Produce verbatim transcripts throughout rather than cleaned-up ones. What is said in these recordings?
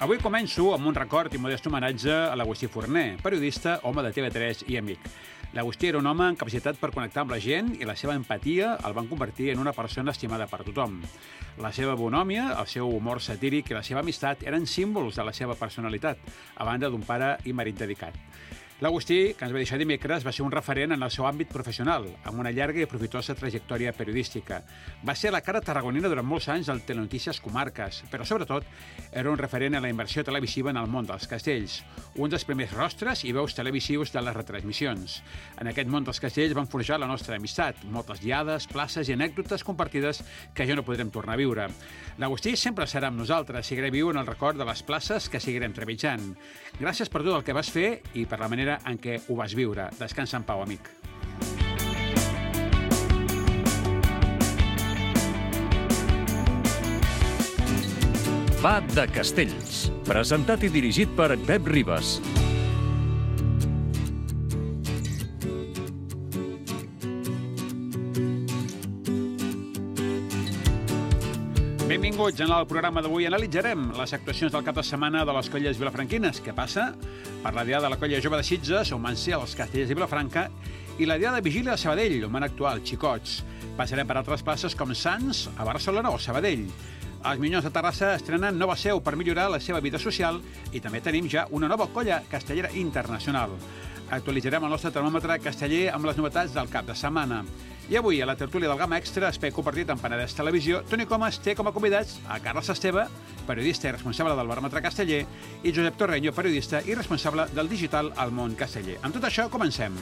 Avui començo amb un record i modest homenatge a l'Agustí Forner, periodista, home de T V tres i amic. L'Agustí era un home amb capacitat per connectar amb la gent i la seva empatia el van convertir en una persona estimada per tothom. La seva bonòmia, el seu humor satíric i la seva amistat eren símbols de la seva personalitat, a banda d'un pare i marit dedicat. L'Agustí, que ens va deixar dimecres, va ser un referent en el seu àmbit professional, amb una llarga i profitosa trajectòria periodística. Va ser la cara tarragonina durant molts anys del Telenotícies Comarques, però sobretot era un referent en la inversió televisiva en el món dels castells, un dels primers rostres i veus televisius de les retransmissions. En aquest món dels castells van forjar la nostra amistat, moltes diades, places i anècdotes compartides que ja no podrem tornar a viure. L'Agustí sempre serà amb nosaltres, seguirà viu en el record de les places que seguirem trepitjant. Gràcies per tot el que vas fer i per la manera en què ho vas viure. Descansa en pau, amic. Va de Castells, presentat i dirigit per Pep Ribas. Benvinguts. En el programa d'avui analitzarem les actuacions del cap de setmana de les colles vilafranquines, que passa per la diada de la colla jove de Sitges, on van ser els castellers de Vilafranca, i la diada de Vigília de Sabadell, on van actuar els xicots. Passarem per altres places com Sants, a Barcelona o Sabadell. Els Minyons de Terrassa estrenen nova seu per millorar la seva vida social i també tenim ja una nova colla castellera internacional. Actualitzarem el nostre termòmetre casteller amb les novetats del cap de setmana. I avui, a la tertúlia del Gamma Extra, espai compartit amb Penedès Televisió, Toni Comas té com a convidats a Carles Esteve, periodista i responsable del baròmetre casteller, i Josep Torreño, periodista i responsable del digital al món casteller. Amb tot això, comencem.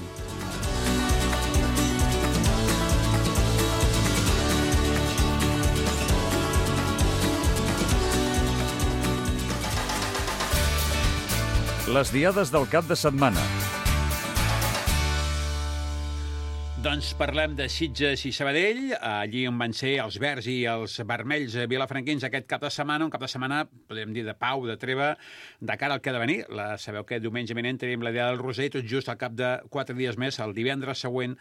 Les diades del cap de setmana. Doncs parlem de Sitges i Sabadell, allí on van ser els verds i els vermells vilafranquins aquest cap de setmana, un cap de setmana, podríem dir, de pau, de treva, de cara al que ha de venir. La, sabeu que diumenge vinent tenim la diada del Roser i tot just al cap de quatre dies més, el divendres següent,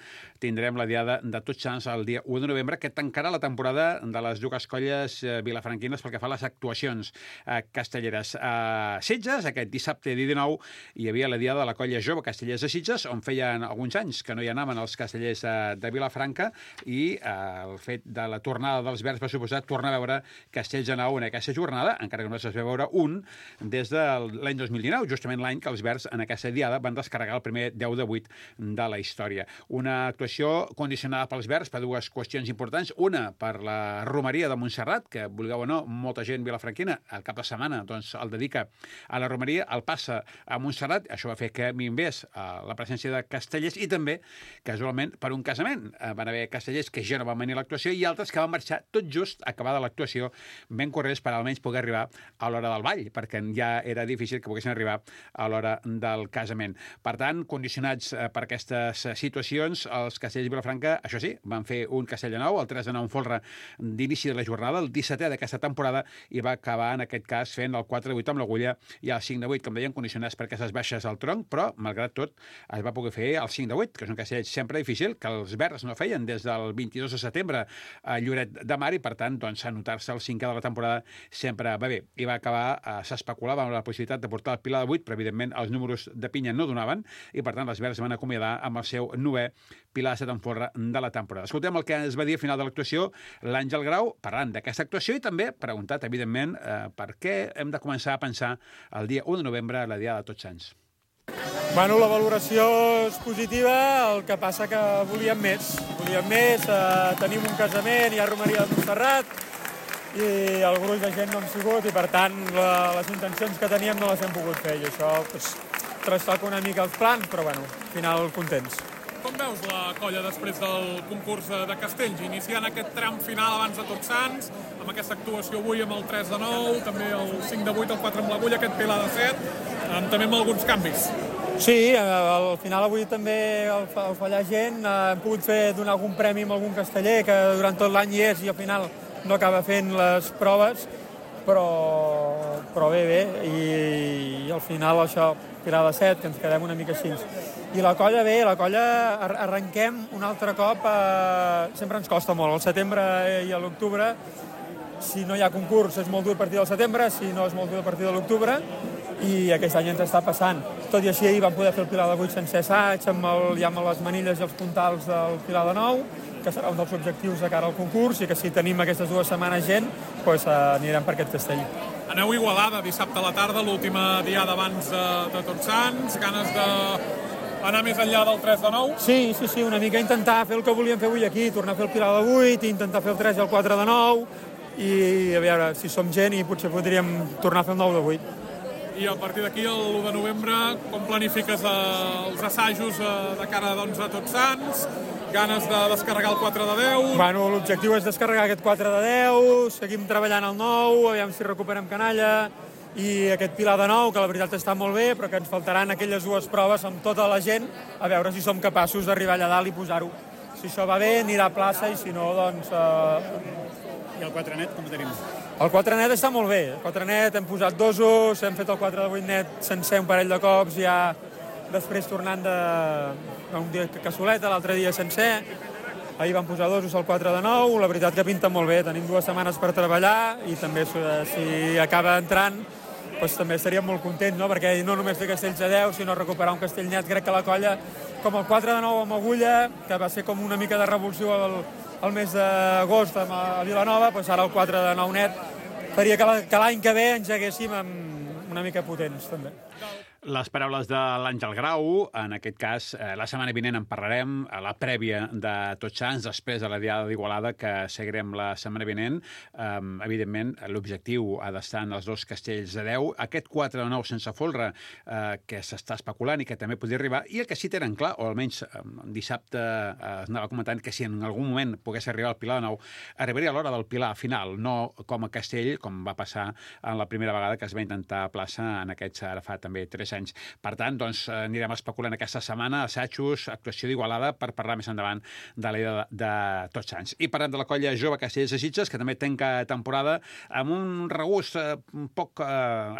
tindrem la diada de Tots Sants el dia u de novembre, que tancarà la temporada de les dues colles vilafranquines pel que fa a les actuacions eh, castelleres. A Sitges, aquest dissabte dia dinou, hi havia la diada de la colla jove castellers de Sitges, on feien alguns anys que no hi anaven els castellers de Vilafranca, i eh, el fet de la tornada dels verds va suposar tornar a veure castells de nou en aquesta jornada, encara que no es va veure un des de l'any dos mil dinou, justament l'any que els verds en aquesta diada van descarregar el primer deu de vuit de la història. Una actuació condicionada pels verds per dues qüestions importants. Una, per la romeria de Montserrat, que, vulgueu o no, molta gent vilafranquina al cap de setmana doncs, el dedica a la romeria, el passa a Montserrat. Això va fer que minvés a la presència de castellers i també, casualment, per un casament. Van haver castellers que ja no van venir a l'actuació i altres que van marxar tot just acabada l'actuació ben corrents per almenys poder arribar a l'hora del ball, perquè ja era difícil que poguessin arribar a l'hora del casament. Per tant, condicionats per aquestes situacions, els castellers de Vilafranca, això sí, van fer un castell de nou, el tres de nou en folre d'inici de la jornada, el dissetè d'aquesta temporada, i va acabar, en aquest cas, fent el quatre de vuit amb l'agulla i el cinc de vuit, com deien, condicionats per aquestes baixes al tronc, però, malgrat tot, es va poder fer el cinc de vuit, que és un castell sempre difícil, que els verds no feien des del vint-i-dos de setembre a Lloret de Mar, i per tant, doncs, anotar-se el cinquè de la temporada sempre va bé. I va acabar, eh, s'especulava amb la possibilitat de portar el pilar de vuit, però evidentment els números de pinya no donaven, i per tant els verds van acomiadar amb el seu novè pilar de set en folre de la temporada. Escoltem el que es va dir al final de l'actuació l'Àngel Grau, parlant d'aquesta actuació, i també preguntat, evidentment, eh, per què hem de començar a pensar el dia u de novembre a la diada de Tots Sants. Bueno, la valoració és positiva, el que passa que volíem més. Volíem més, eh, tenim un casament, hi ha romeria de Montserrat, i el gruix de gent no hem sigut, i per tant la, les intencions que teníem no les hem pogut fer, i això pues, trastoca una mica els plans, però bueno, al final contents. Com veus la colla després del concurs de Castells, iniciant aquest tram final abans de Tots Sants, amb aquesta actuació avui amb el tres de nou, també el cinc de vuit, el quatre amb l'agulla, aquest pilar de set, amb, també amb alguns canvis? Sí, al final avui també al fallar gent hem pogut fer donar algun premi a algun casteller que durant tot l'any hi és i al final no acaba fent les proves, però, però bé, bé, i, i al final això, pilar de set, que ens quedem una mica així. I la colla bé, la colla arrenquem un altre cop, eh, sempre ens costa molt, al setembre i a l'octubre si no hi ha concurs és molt dur a partir del setembre, si no és molt dur a partir de l'octubre, i aquest any ens està passant. Tot i així ahir vam poder fer el Pilar de vuit sense assaig, amb, el, ja amb les manilles i els puntals del Pilar de nou, que serà un dels objectius de cara al concurs, i que si tenim aquestes dues setmanes gent, doncs anirem per aquest castell. Aneu a Igualada dissabte a la tarda, l'última diada abans de, de Tots Sants, ganes d'anar més enllà del tres de nou? Sí, sí, sí, una mica intentar fer el que volíem fer avui aquí, tornar a fer el Pilar de vuit, intentar fer el tres i el quatre de nou, i a veure si som gent i potser podríem tornar a fer el nou de vuit. I a partir d'aquí, l'u de novembre, com planifiques els assajos de cara doncs, a Tots Sants? Ganes de descarregar el quatre de deu? Bueno, l'objectiu és descarregar aquest quatre de deu, seguim treballant el nou, aviam si recuperem canalla, i aquest Pilar de nou, que la veritat està molt bé, però que ens faltaran aquelles dues proves amb tota la gent, a veure si som capaços d'arribar allà dalt i posar-ho. Si això va bé, anirà a plaça, i si no, doncs... Eh... I el quatre net, com ho tenim? El quatre net està molt bé. El quatre net hem posat dosos, hem fet el quatre de vuit net sencer un parell de cops, ja després tornant de... un dia cassoleta, l'altre dia sencer. Ahir vam posar dosos al quatre de nou, la veritat que pinta molt bé. Tenim dues setmanes per treballar i també si acaba entrant doncs també estaríem molt contents, no? Perquè no només fer castells de deu, sinó recuperar un castell net. Crec que la colla, com el quatre de nou amb Agulla, que va ser com una mica de revulsió al, al mes d'agost a Vilanova, doncs ara el quatre de nou net faria que l'any que ve ens haguéssim una mica potents, també. Les paraules de l'Àngel Grau, en aquest cas, eh, la setmana vinent en parlarem, a la prèvia de Tots Sants, després de la Diada d'Igualada, que seguirem la setmana vinent. Eh, evidentment, l'objectiu ha d'estar en els dos castells de deu. Aquest quatre de nou sense folre, eh, que s'està especulant i que també podria arribar, i el que sí tenen clar, o almenys eh, dissabte eh, es anava comentant que si en algun moment pogués arribar al Pilar de nou, arribaria a l'hora del Pilar final, no com a castell, com va passar en la primera vegada que es va intentar a plaça en aquests, ara fa també tres anys. Per tant, doncs, anirem especulant aquesta setmana, assajos, actuació d'Igualada, per parlar més endavant de la de, de Tots Sants. I parlem de la colla jove Castellers de Sitges, que també tanca temporada amb un regust eh, poc eh,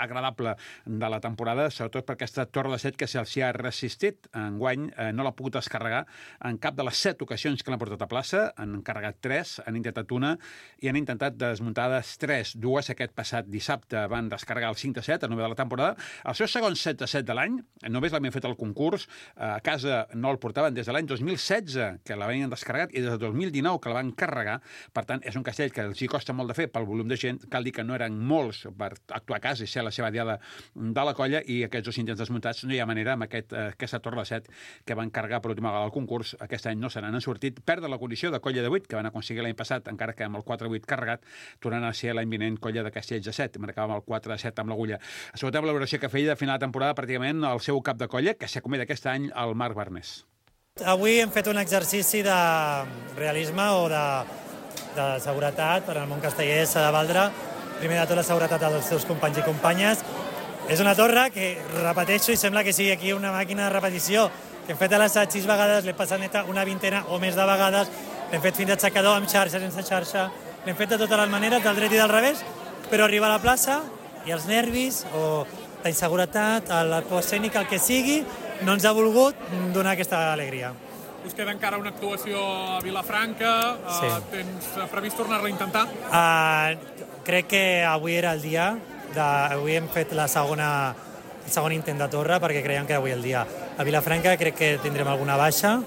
agradable de la temporada, sobretot per aquesta torre de set que se'ls ha resistit. Enguany eh, no l'ha pogut descarregar en cap de les set ocasions que l'han portat a plaça. Han carregat tres, han intentat una i han intentat desmuntar tres. Dues aquest passat dissabte van descarregar el cinc de set, el novè de la temporada. El seu segon set de set de l'any, només l'havien fet al concurs, a casa no el portaven des de l'any dos mil setze, que l'havien descarregat, i des de dos mil dinou, que la van carregar. Per tant, és un castell que els hi costa molt de fer pel volum de gent. Cal dir que no eren molts per actuar a casa i ser la seva diada de la colla, i aquests dos intents desmuntats no hi ha manera amb aquest, aquesta torre de set que van carregar per última vegada al concurs. Aquest any no se n'han sortit. Perdre la condició de colla de vuit, que van aconseguir l'any passat, encara que amb el quatre vuit carregat, tornant a ser l'any vinent colla de castells de set. Marcàvem el quatre set amb l'Agulla. Escoltem la valoració que feia de final de temporada pràcticament el seu cap de colla, que s'acomida aquest any, el Marc Barnés. Avui hem fet un exercici de realisme o de, de seguretat. Per al món casteller s'ha de valdre, primer de tot, la seguretat dels seus companys i companyes. És una torre que, repeteixo, i sembla que sigui aquí una màquina de repetició, que hem fet a l'assaig sis vegades, l'hem passat neta una vintena o més de vegades, l'hem fet fins aixecador, amb xarxa, sense xarxa, l'hem fet de totes les maneres, del dret i del revés, però arriba a la plaça i els nervis o la inseguretat, la por escènica, el que sigui, no ens ha volgut donar aquesta alegria. Us queda encara una actuació a Vilafranca. Sí. Uh, tens previst tornar-la a intentar? Uh, crec que avui era el dia. De, avui hem fet la segona, el segon intent de torre perquè creiem que avui el dia. A Vilafranca crec que tindrem alguna baixa.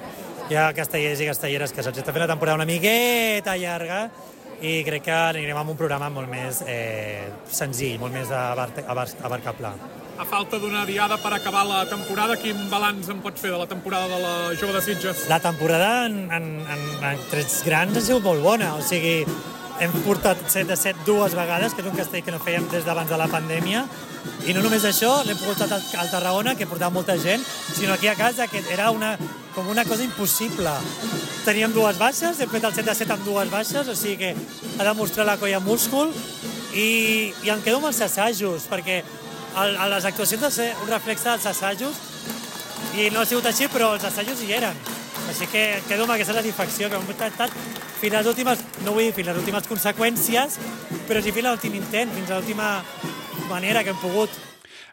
Hi ha castellers i castelleres que se'ls està fent la temporada una miqueta llarga, i crec que anirem amb un programa molt més eh, senzill, molt més abarcable. A falta d'una diada per acabar la temporada, quin balanç en pots fer de la temporada de la Jove de Sitges? La temporada en, en, en, en trets grans ha sigut molt bona, o sigui, hem portat set de set dues vegades, que és un castell que no fèiem des d'abans de la pandèmia, i no només això, l'hem portat al Tarragona, que portava molta gent, sinó aquí a casa, que era una, com una cosa impossible. Teníem dues baixes, hem fet el set de set amb dues baixes, o sigui que ha demostrat la colla múscul, i, i em quedo amb els assajos, perquè el, les actuacions han de ser un reflex dels assajos, i no ha sigut així, però els assajos hi eren. Així que quedo amb aquesta satisfacció, que hem intentat fins a les últimes, no vull dir fins a les últimes conseqüències, però sí fins a l'últim intent, fins a l'última manera que hem pogut.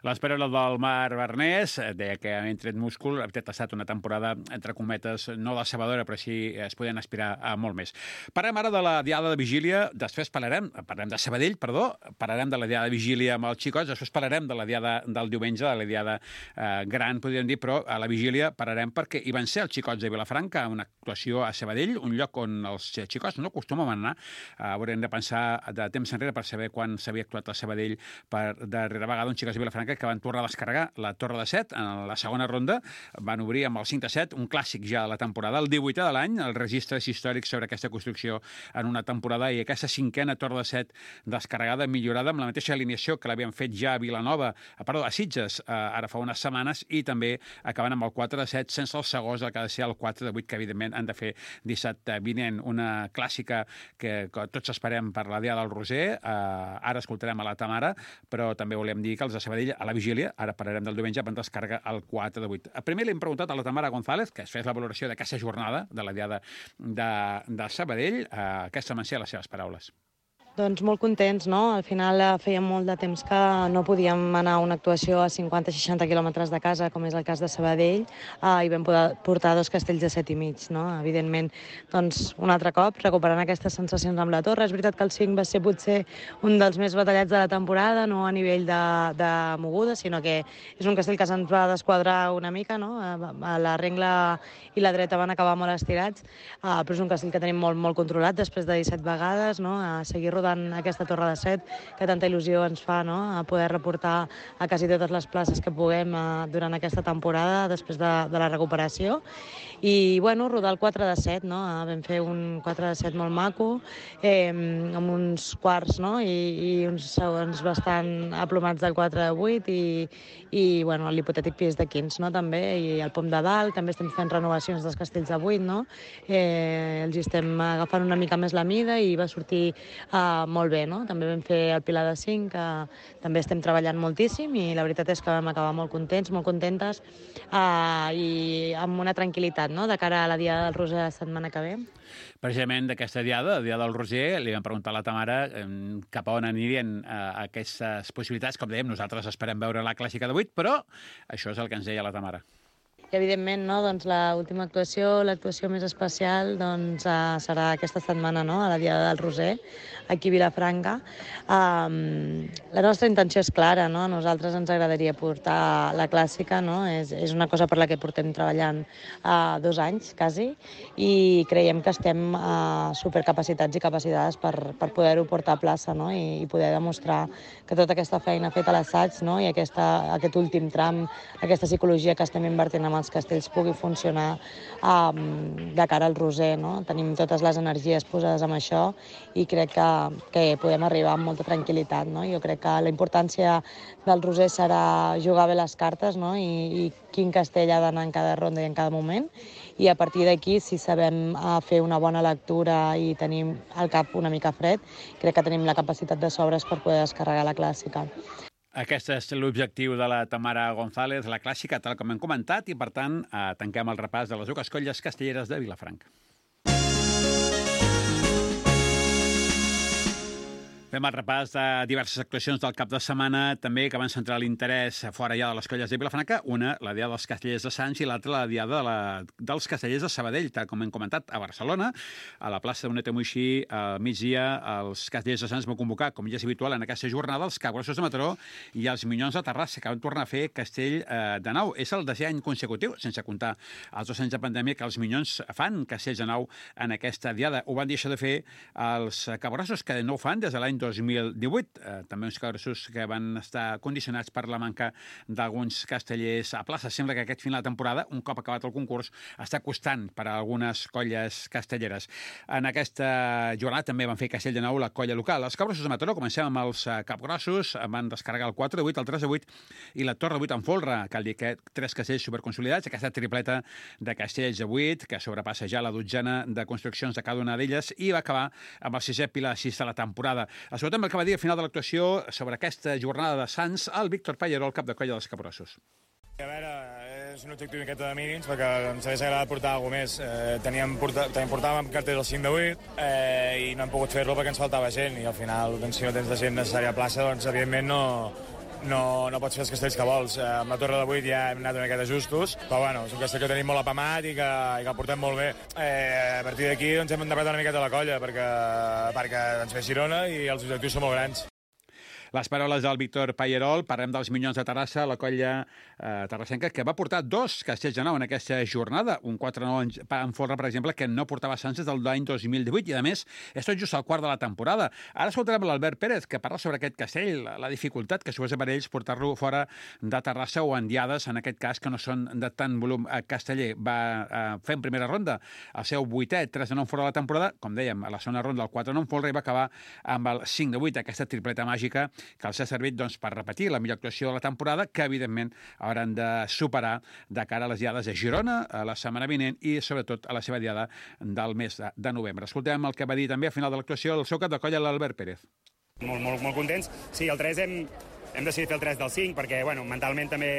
Les paraules del Marc Barnés, deia que ha tret múscul, ha estat una temporada, entre cometes, no decebedora, però sí es podien aspirar a molt més. Parlem ara de la diada de vigília, després parlarem, parlarem de Sabadell, perdó, parlarem de la diada de vigília amb els xicots, després parlarem de la diada del diumenge, de la diada eh, gran, podríem dir, però a la vigília parlarem perquè hi van ser els xicots de Vilafranca, una actuació a Sabadell, un lloc on els xicots no acostumen a anar. Eh, haurem de pensar de temps enrere per saber quan s'havia actuat a Sabadell per darrera vegada uns xicots de Vilafranca que van tornar a descarregar la Torre de Set en la segona ronda, van obrir amb el cinc a set, un clàssic ja de la temporada, el divuitè de l'any, els registres històrics sobre aquesta construcció en una temporada i aquesta cinquena Torre de Set descarregada, millorada, amb la mateixa alineació que l'havien fet ja a Vilanova, perdó, a Sitges, eh, ara fa unes setmanes, i també acabant amb el quatre de set, sense el segons, el que ha de ser el quatre de vuit, que evidentment han de fer dissabte vinent, una clàssica que, que tots esperem per la Diada del Roser, eh, ara escoltarem a la Tamara, però també volem dir que els de Sabadell a la vigília, ara parlarem del diumenge, van descarregar el quatre de vuit. Primer li hem preguntat a la Tamara González, que es fes la valoració d'aquesta jornada de la Diada de, de Sabadell, eh, aquesta van ser les seves paraules. Doncs molt contents, no? Al final feia molt de temps que no podíem anar a una actuació a cinquanta seixanta quilòmetres de casa, com és el cas de Sabadell, eh, i vam poder portar dos castells de set i mig, no? Evidentment, doncs, un altre cop, recuperant aquestes sensacions amb la Torre. És veritat que el cinc va ser potser un dels més batallats de la temporada, no a nivell de, de moguda, sinó que és un castell que se'ns va desquadrar una mica, no? A la rengla i la dreta van acabar molt estirats, eh, però és un castell que tenim molt, molt controlat després de disset vegades, no? A seguir rodant aquesta Torre de Set, que tanta il·lusió ens fa, no? A poder reportar a quasi totes les places que puguem eh, durant aquesta temporada, després de, de la recuperació. I, bueno, rodar el quatre de set, no? Vam fer un quatre de set molt maco, eh, amb uns quarts, no? I, i uns segons bastant aplomats del quatre de vuit i, i bueno, l'hipotètic pis de quinze, no? També, i el pom de dalt, també estem fent renovacions dels castells de vuit, no? Eh, els estem agafant una mica més la mida i va sortir eh, molt bé, no? També vam fer el pilar de cinc, que també estem treballant moltíssim i la veritat és que vam acabar molt contents, molt contentes eh, i amb una tranquil·litat, no? De cara a la Diada del Roser la setmana que ve. Precisament d'aquesta diada, la Diada del Roser, li vam preguntar a la Tamara eh, cap a on anirien eh, aquestes possibilitats. Com dèiem, nosaltres esperem veure la clàssica de vuit, però això és el que ens deia la Tamara. I, evidentment, no, doncs, l'última actuació, l'actuació més especial, doncs, uh, serà aquesta setmana, no?, a la Diada del Roser, aquí a Vilafranca. Um, la nostra intenció és clara, no? A nosaltres ens agradaria portar la clàssica, no? És, és una cosa per la que portem treballant uh, dos anys, quasi, i creiem que estem uh, supercapacitats i capacitades per, per poder-ho portar a plaça, no? I, i poder demostrar que tota aquesta feina feta a l'assaig, no? I aquesta, aquest últim tram, aquesta psicologia que estem invertint amb els castells pugui funcionar um, de cara al Roser, no? Tenim totes les energies posades en això i crec que, que podem arribar amb molta tranquil·litat, no? Jo crec que la importància del Roser serà jugar bé les cartes, no? I, i quin castell ha d'anar en cada ronda i en cada moment, i a partir d'aquí, si sabem uh, fer una bona lectura i tenim el cap una mica fred, crec que tenim la capacitat de sobres per poder descarregar la clàssica. Aquest és l'objectiu de la Tamara González, la clàssica, tal com hem comentat, i per tant eh, tanquem el repàs de les dues colles castelleres de Vilafranca. Fem el repàs de diverses actuacions del cap de setmana, també que van centrar l'interès fora ja de les colles de Vilafranca, una, la Diada dels Castellers de Sants, i l'altra, la Diada de la, dels Castellers de Sabadell, tal com hem comentat, a Barcelona, a la plaça de Bonet Moixí, al migdia, els Castellers de Sants van convocar, com ja és habitual en aquesta jornada, els Capgrossos de Mataró i els Minyons de Terrassa, que van tornar a fer castell eh, de nou. És el desè any consecutiu, sense comptar els dos anys de pandèmia, que els Minyons fan castells de nou en aquesta Diada. Ho van deixar de fer els Capgrossos, que no ho fan des de l'any dos mil divuit. Eh, també uns Capgrossos que van estar condicionats per la manca d'alguns castellers a plaça. Sembla que aquest final de temporada, un cop acabat el concurs, està costant per a algunes colles castelleres. En aquesta jornada també van fer castell de nou la colla local. Els Capgrossos de Mataró, comencem amb els Capgrossos, van descarregar el quatre de vuit, el tres de vuit i la Torre de vuit en folre. Cal dir que tres castells superconsolidats, aquesta tripleta de castells de vuit, que sobrepassa ja la dotzena de construccions de cada una d'elles, i va acabar amb el sisè pilar sis de la temporada. A sobre també el que va dir al final de l'actuació sobre aquesta jornada de Sants el Víctor Pallaró, el cap de colla dels Capgrossos. A veure, és un objectiu miqueta de mínims, perquè ens hagués agradat portar alguna més. Eh, teníem, porta, teníem, portàvem cartells al cinc de vuit eh, i no hem pogut fer-lo perquè ens faltava gent, i al final, doncs, si no tens la gent necessària a plaça, doncs, evidentment, no, no, no pots fer els castells que vols. Eh, amb la Torre de vuit ja hem anat una miqueta justos, però bueno, és un castell que tenim molt apamat i que, i que el portem molt bé. Eh, a partir d'aquí doncs, hem endepat una miqueta la colla perquè, perquè ens ve Girona i els objectius són molt grans. Les paraules del Víctor Pallerol. Parlem dels Minyons de Terrassa, la colla eh, terrassenca, que va portar dos castells de nou en aquesta jornada. Un quatre nou en folre, per exemple, que no portava Sants des del l'any dos mil divuit, i a més, és tot just al quart de la temporada. Ara escoltarem l'Albert Pérez, que parla sobre aquest castell, la, la dificultat que suposa per ells portar-lo fora de Terrassa o en diades, en aquest cas, que no són de tant volum casteller. Va eh, fer en primera ronda el seu vuitè, tres de nou fora de la temporada, com dèiem, a la segona ronda el quatre nou en folre, i va acabar amb el cinc de vuit, aquesta tripleta màgica que els ha servit doncs, per repetir la millor actuació de la temporada, que evidentment hauran de superar de cara a les diades de Girona a la setmana vinent i sobretot a la seva diada del mes de, de novembre. Escoltem el que va dir també a final de l'actuació el seu cap de colla, l'Albert Pérez. Molt, molt, molt contents. Sí, el tres hem, hem decidit fer el tres del cinc perquè bueno, mentalment també,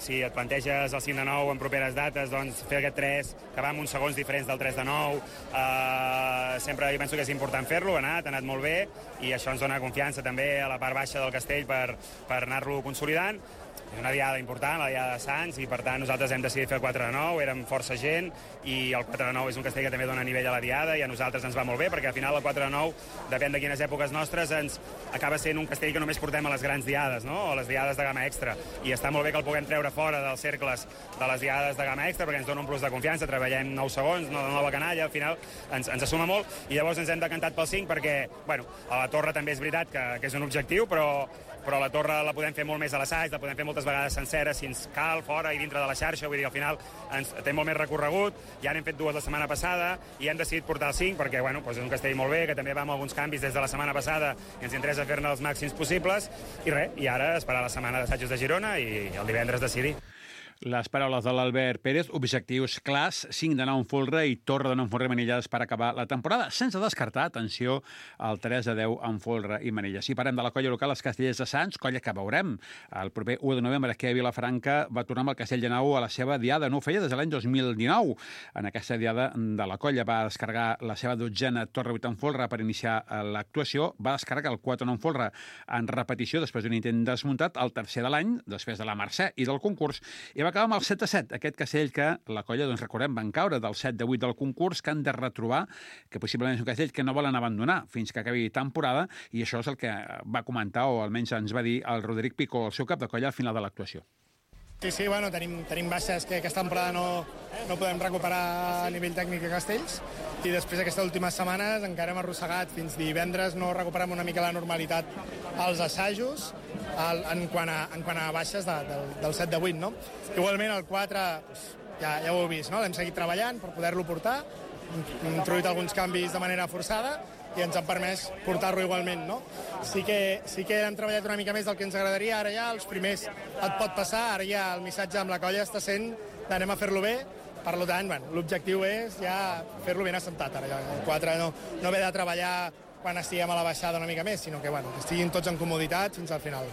si et planteges el cinc de nou en properes dates, doncs fer aquest tres, que va amb uns segons diferents del tres de nou, eh, sempre jo penso que és important fer-lo, ha anat, ha anat molt bé, i això ens dona confiança també a la part baixa del castell per, per anar-lo consolidant. És una diada important, la diada de Sants, i per tant nosaltres hem decidit fer el quatre de nou, érem força gent, i el quatre de nou és un castell que també dona nivell a la diada, i a nosaltres ens va molt bé, perquè al final el quatre de nou, depèn de quines èpoques nostres, ens acaba sent un castell que només portem a les grans diades, no? O a les diades de gamma extra, i està molt bé que el puguem treure fora dels cercles de les diades de gamma extra, perquè ens dona un plus de confiança, treballem nou segons, no, nova canalla, al final ens, ens assuma molt, i llavors ens hem decantat pel cinc, perquè, bueno, a la torre també és veritat que, que és un objectiu, però però la torre la podem fer molt més a l'assaig, la podem fer moltes vegades sencera, si ens cal, fora i dintre de la xarxa, vull dir, al final ens, té molt més recorregut, ja n'hem fet dues la setmana passada, i hem decidit portar el cinc, perquè, bueno, doncs és un castell molt bé, que també va amb alguns canvis des de la setmana passada, i ens interessa fer-ne els màxims possibles, i res, i ara esperar la setmana d'assajos de Girona i el divendres decidir. Les paraules de l'Albert Pérez, objectius clars, cinc de nou en folre i torre de nou en folre i manilles per acabar la temporada, sense descartar, atenció, el tres de deu en folre i manilles. Si parem de la colla local, els Castellers de Sants, colla que veurem el proper u de novembre, que a Vilafranca va tornar amb el Castell de Nou a la seva diada. No ho feia des de l'any dos mil dinou. En aquesta diada de la colla va descarregar la seva dotzena torre vuit en folre per iniciar l'actuació, va descarregar el quatre nou en folre en repetició després d'un intent desmuntat, el tercer de l'any, després de la Mercè i del concurs, i va acabar amb el set a set, aquest castell que la colla, doncs recordem, van caure del set de vuit del concurs, que han de retrobar, que possiblement és un castell que no volen abandonar fins que acabi temporada, i això és el que va comentar, o almenys ens va dir el Roderic Picó, el seu cap de colla, al final de l'actuació. Sí, sí, bueno, tenim, tenim baixes que aquesta temporada no, no podem recuperar a nivell tècnic de castells, i després d'aquestes últimes setmanes encara hem arrossegat fins divendres, no recuperem una mica la normalitat als assajos el, en, quant a, en quant a baixes de, del, del set de vuit, no? Igualment el quatre, doncs, ja, ja ho heu vist, no? L'hem seguit treballant per poder-lo portar, hem introduït alguns canvis de manera forçada i ens han permès portar-lo igualment, no? Sí que, sí que hem treballat una mica més del que ens agradaria, ara ja els primers et pot passar, ara ja el missatge amb la colla està sent d'anem a fer-lo bé, per tant, bueno, l'objectiu és ja fer-lo ben assentat, ara ja el quatre no, no ve de treballar quan estiguem a la baixada una mica més, sinó que, bueno, que estiguin tots en comoditat fins al final.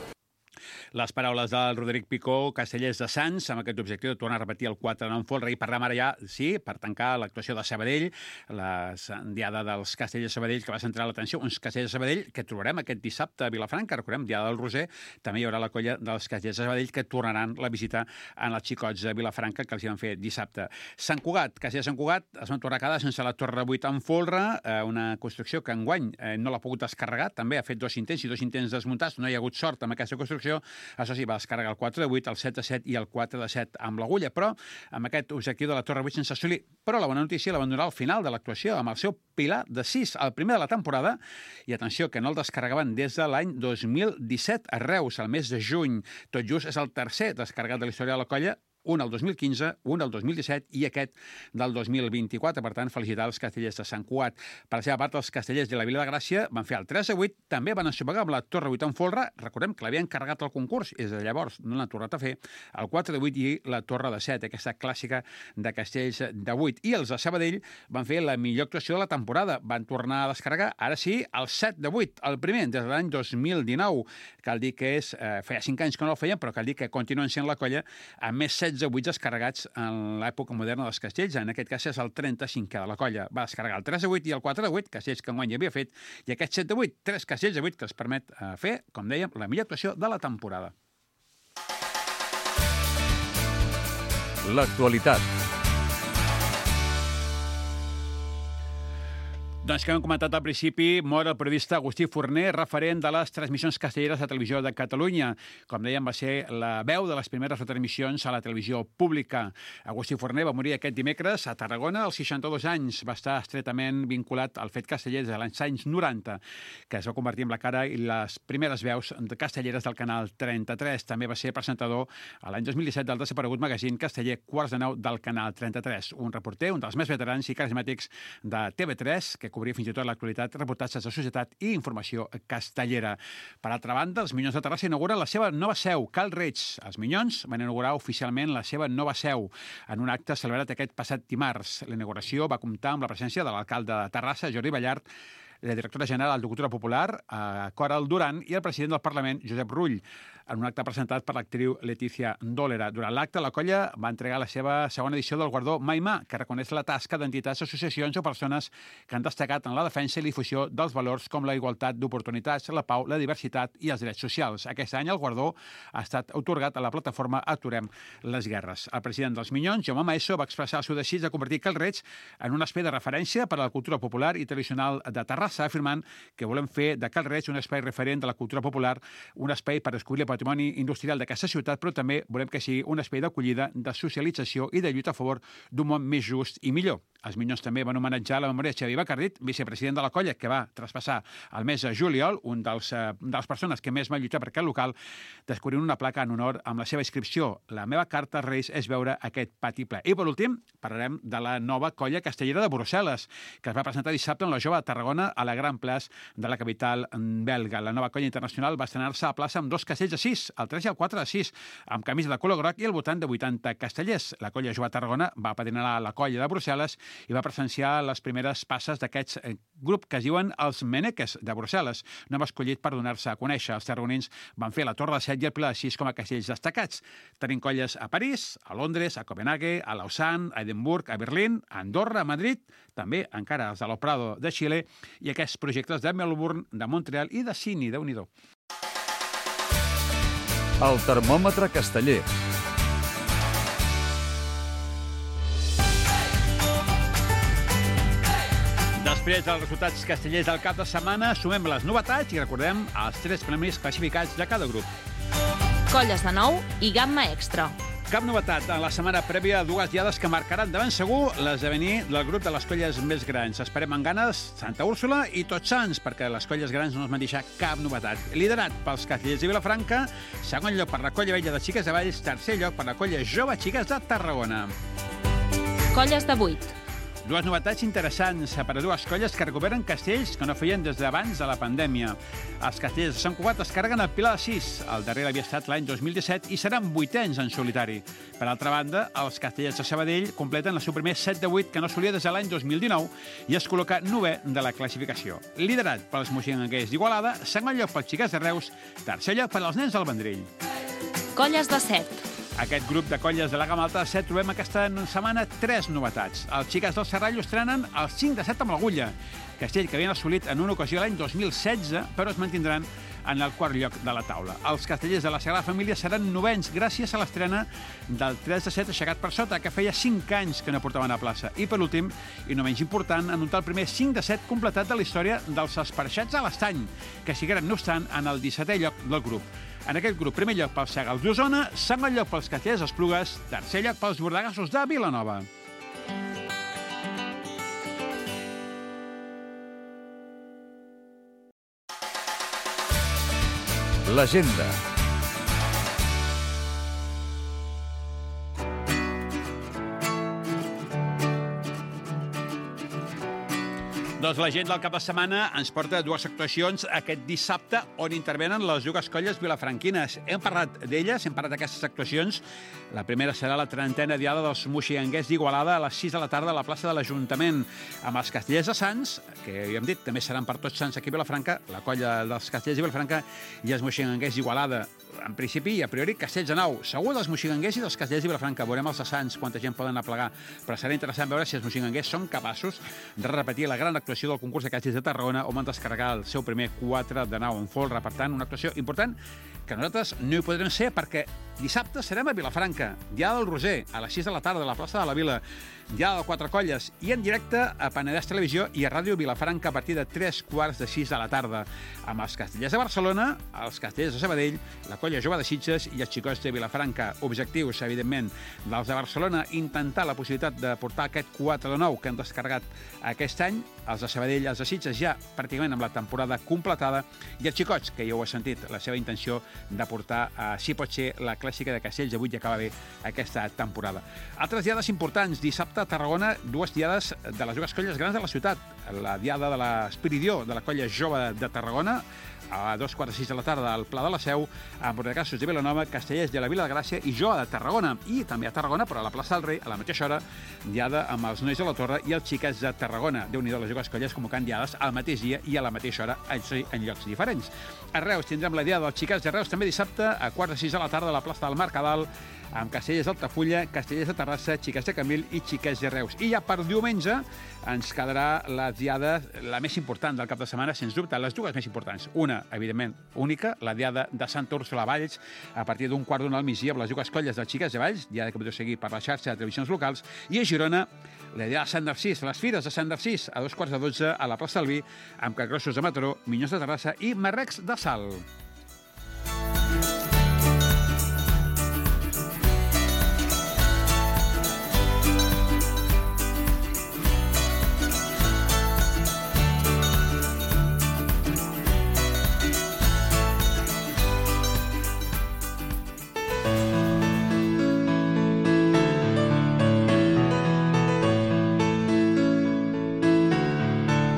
Les paraules del Roderic Picó, Castellers de Sants, amb aquest objectiu de tornar a repetir el quatre de nou en folre, i parlem ara ja, sí, per tancar l'actuació de Sabadell, la diada dels Castellers de Sabadell, que va centrar l'atenció, uns Castellers de Sabadell que trobarem aquest dissabte a Vilafranca, recordem, diada del Roser, també hi haurà la colla dels Castellers de Sabadell que tornaran la visita en els xicots de Vilafranca, que els hi van fer dissabte. Sant Cugat, Castellers de Sant Cugat, es van tornar a quedar sense la torre vuit en folre, una construcció que enguany no l'ha pogut descarregar, també ha fet dos intents i dos intents desmuntats, no hi ha hagut sort amb aquesta construcció. Això sí, va descarregar el quatre de vuit, el set de set i el quatre de set amb l'agulla, però amb aquest objectiu de la torre vuit sense assolir. Però la bona notícia la van donar al final de l'actuació, amb el seu pilar de sis, el primer de la temporada, i atenció, que no el descarregaven des de l'any dos mil disset a Reus, al mes de juny. Tot just és el tercer descarregat de la història de la colla, un el dos mil quinze, un el dos mil disset i aquest del dos mil vint-i-quatre. Per tant, felicitar els Castellers de Sant Cugat. Per la seva part, els Castellers de la Vila de Gràcia van fer el tres a vuit, també van ensopegar amb la torre vuit en folre, recordem que l'havien carregat al concurs, i des de llavors no l'han tornat a fer, el quatre de vuit i la torre de set, aquesta clàssica de Castells de vuit. I els de Sabadell van fer la millor actuació de la temporada, van tornar a descarregar, ara sí, el set de vuit, el primer, des de l'any dos mil dinou. Cal dir que és, eh, feia cinc anys que no el feien, però cal dir que continuen sent la colla amb més setze setze buits descarregats en l'època moderna dels castells. En aquest cas és el trenta-cinquè de la colla. Va descarregar el tres de vuit i el quatre de vuit, castells que enguany havia fet, i aquest set de vuit, tres castells de vuit que els permet fer, com dèiem, la millor actuació de la temporada. L'actualitat. Doncs que hem comentat al principi, mor el periodista Agustí Forner, referent de les transmissions castelleres de Televisió de Catalunya. Com dèiem, va ser la veu de les primeres retransmissions a la televisió pública. Agustí Forner va morir aquest dimecres a Tarragona als seixanta-dos anys. Va estar estretament vinculat al fet casteller de l'any anys noranta, que es va convertir en la cara i les primeres veus castelleres del canal trenta-tres. També va ser presentador a l'any dos mil disset del desaparegut magazín casteller Quarts de Nou del canal trenta-tres. Un reporter, un dels més veterans i carismàtics de T V tres, que cobria fins i tot l'actualitat, reportatges de societat i informació castellera. Per altra banda, els Minyons de Terrassa inauguren la seva nova seu, Cal Reig. Els Minyons van inaugurar oficialment la seva nova seu en un acte celebrat aquest passat dimarts. La inauguració va comptar amb la presència de l'alcalde de Terrassa, Jordi Ballart, la directora general de Cultura Popular, Coral Duran, i el president del Parlament, Josep Rull, en un acte presentat per l'actriu Letícia Dòlera. Durant l'acte, la colla va entregar la seva segona edició del guardó Maimà, que reconeix la tasca d'entitats, associacions o persones que han destacat en la defensa i difusió dels valors com la igualtat d'oportunitats, la pau, la diversitat i els drets socials. Aquest any el guardó ha estat atorgat a la plataforma Aturem les Guerres. El president dels Minyons, Jaume Maeso, va expressar el seu desig de convertir Cal Reig en un espai de referència per a la cultura popular i tradicional de Terrassa, afirmant que volem fer de Cal Reig un espai referent de la cultura popular, un espai per descobrir el patrimoni industrial d'aquesta ciutat, però també volem que sigui un espai d'acollida, de socialització i de lluita a favor d'un món més just i millor. Els Minyons també van homenatjar la memòria de Xavi Bacardit, vicepresident de la colla, que va traspassar el mes de juliol, un dels, eh, de les persones que més va lluitar per aquest local, descobrint una placa en honor amb la seva inscripció. La meva carta als Reis és veure aquest pati ple. I per últim, parlarem de la nova colla castellera de Brussel·les, que es va presentar dissabte en la Jove de Tarragona a la Gran Plaça de la capital belga. La nova colla internacional va estrenar-se a plaça amb dos castells de sis, el tres i el quatre de sis, amb camisa de color groc i al voltant de vuitanta castellers. La colla Jove de Tarragona va padrinar la colla de Brussel·les i va presenciar les primeres passes d'aquests eh, grup que es diuen els Meneques de Brussel·les. No va escollit per donar-se a conèixer. Els tarragonins van fer la Torre de set i el Pilar de sis com a castells destacats. Tenim colles a París, a Londres, a Copenhague, a Lausanne, a Edimburg, a Berlín, a Andorra, a Madrid, també encara els de l'O Prado de Xile i aquests projectes de Melbourne, de Montreal i de Sydney, déu-n'hi-do. El termòmetre casteller. Després dels resultats castellers del cap de setmana, sumem les novetats i recordem els tres premis classificats de cada grup. Colles de nou i gamma extra. Cap novetat en la setmana prèvia, dues diades que marcaran de ben segur l'esdevenir del grup de les colles més grans. Esperem amb ganes Santa Úrsula i Tots Sants, perquè les colles grans no ens van deixar cap novetat. Liderat pels castellers de Vilafranca, segon lloc per la colla vella de Xiques de Valls, tercer lloc per la colla jove Xiques de Tarragona. Colles de vuit. Dues novetats interessants per a dues colles que recuperen castells que no feien des d'abans de la pandèmia. Els castells de Sant Cugat es carreguen el Pilar de sis. El darrer havia estat l'any dos mil disset i seran vuitens en solitari. Per altra banda, els castellers de Sabadell completen el seu primer set de vuit que no solia des de l'any dos mil dinou i es col·loca novè de la classificació. Liderat pels moixinguers d'Igualada, segon lloc pels Xiquets de Reus, tercer lloc per als nens del Vendrell. Colles de set. Aquest grup de colles de la gamma alta de set trobem aquesta setmana tres novetats. Els Xiques del Serrallo estrenen el cinc de set amb l'agulla, castell que havien assolit en una ocasió l'any dos mil setze, però es mantindran en el quart lloc de la taula. Els castellers de la Sagrada Família seran novens gràcies a l'estrena del tres de set aixecat per sota, que feia cinc anys que no portaven a plaça. I per últim, i no menys important, anotar el primer cinc de set completat de la història dels esparxats a l'Estany, que sigueren, no obstant, en el dissetè lloc del grup. En aquest grup, primer lloc pels Segals d'Osona, segon lloc pels castellers d'Esplugues, tercer lloc pels bordegassos de Vilanova. L'agenda. Doncs la gent del cap de setmana ens porta dues actuacions aquest dissabte on intervenen les dues colles vilafranquines. Hem parlat d'elles, hem parlat d'aquestes actuacions. La primera serà la trentena diada dels moixinguers d'Igualada a les sis de la tarda a la plaça de l'Ajuntament, amb els castellers de Sants, que ja hem dit, també seran per Tots Sants aquí a Vilafranca, la colla dels castellers de Vilafranca i els moixinguers d'Igualada. en principi i a priori, Castells de Nou. Segur dels moxiganguers i dels castells de Vilafranca. Veurem els assants, quanta gent poden aplegar. Però serà interessant veure si els moxiganguers són capaços de repetir la gran actuació del concurs de Castells de Tarragona, on van descarregar el seu primer quatre de nou en folre. Per tant, una actuació important que nosaltres no hi podrem ser perquè dissabte serem a Vilafranca, Diada del Roser, a les sis de la tarda, a la plaça de la Vila, Diada de Quatre Colles, i en directe a Penedès Televisió i a Ràdio Vilafranca a partir de tres quarts de sis de la tarda, amb els castellers de Barcelona, els castellers de Sabadell, la colla jove de Sitges i els xicots de Vilafranca. Objectius, evidentment, dels de Barcelona, intentar la possibilitat de portar aquest quatre de nou que han descarregat aquest any, els de Sabadell, els de Sitges ja pràcticament amb la temporada completada, i els xicots, que ja ho he sentit, la seva intenció de portar, eh, si pot ser, la clàssica de Castells avui ja acaba bé aquesta temporada. Altres diades importants. Dissabte a Tarragona, dues diades de les dues colles grans de la ciutat. La diada de l'Espiridió, de la colla jove de Tarragona, a dos quarts de sis de la tarda al Pla de la Seu, amb Bordegassos de Vilanova, Castellers de la Vila de Gràcia i Joa de Tarragona. I també a Tarragona, però a la plaça del Rei, a la mateixa hora, diada amb els nois de la Torre i els xiquets de Tarragona. Déu-n'hi-do, les dues colles convocant diades al mateix dia i a la mateixa hora, en llocs diferents. A Reus tindrem la diada dels xiquets de Reus també dissabte, a quarts de sis de la tarda a la plaça del Mercadal, amb Castellers d'Altafulla, Castellers de Terrassa, Xiquets de Camil i Xiquets de Reus. I ja per diumenge ens quedarà la diada la més important del cap de setmana, sens dubte, les dues més importants. Una, evidentment, única, la diada de Santa Úrsula a Valls, a partir d'un quart d'una al migdia, amb les dues colles dels Xiquets de Valls, diada que podeu seguir per la xarxa de televisions locals, i a Girona, la diada de Sant Narcís, les fires de Sant Narcís, a dos quarts de dotze a la plaça del Vi, amb Capgrossos de Mataró, Minyons de Terrassa i Marrecs de Salt.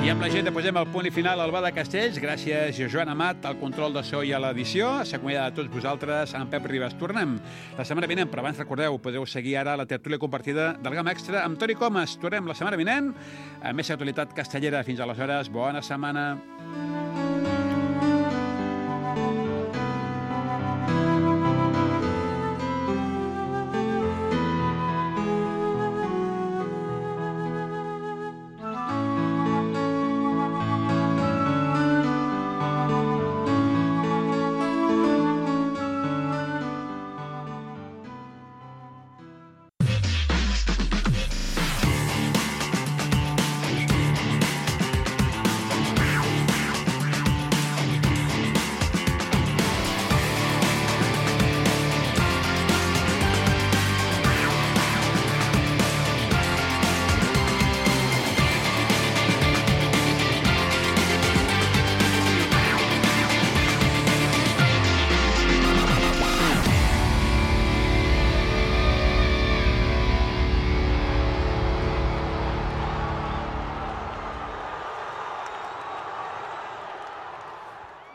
I amb la gent posem el punt i final al Bar de Castells. Gràcies a Joan Amat, al control de so i a l'edició. S'acomiada de tots vosaltres, en Pep Ribas. Tornem la setmana vinent, però abans recordeu, podeu seguir ara la tertúlia compartida del Gamma Extra amb Toni Comas. Tornem la setmana vinent amb més actualitat castellera. Fins aleshores, bona setmana.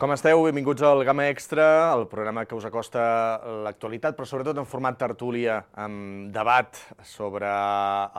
Com esteu? Benvinguts al Gamma Extra, el programa que us acosta l'actualitat, però sobretot en format tertúlia, amb debat sobre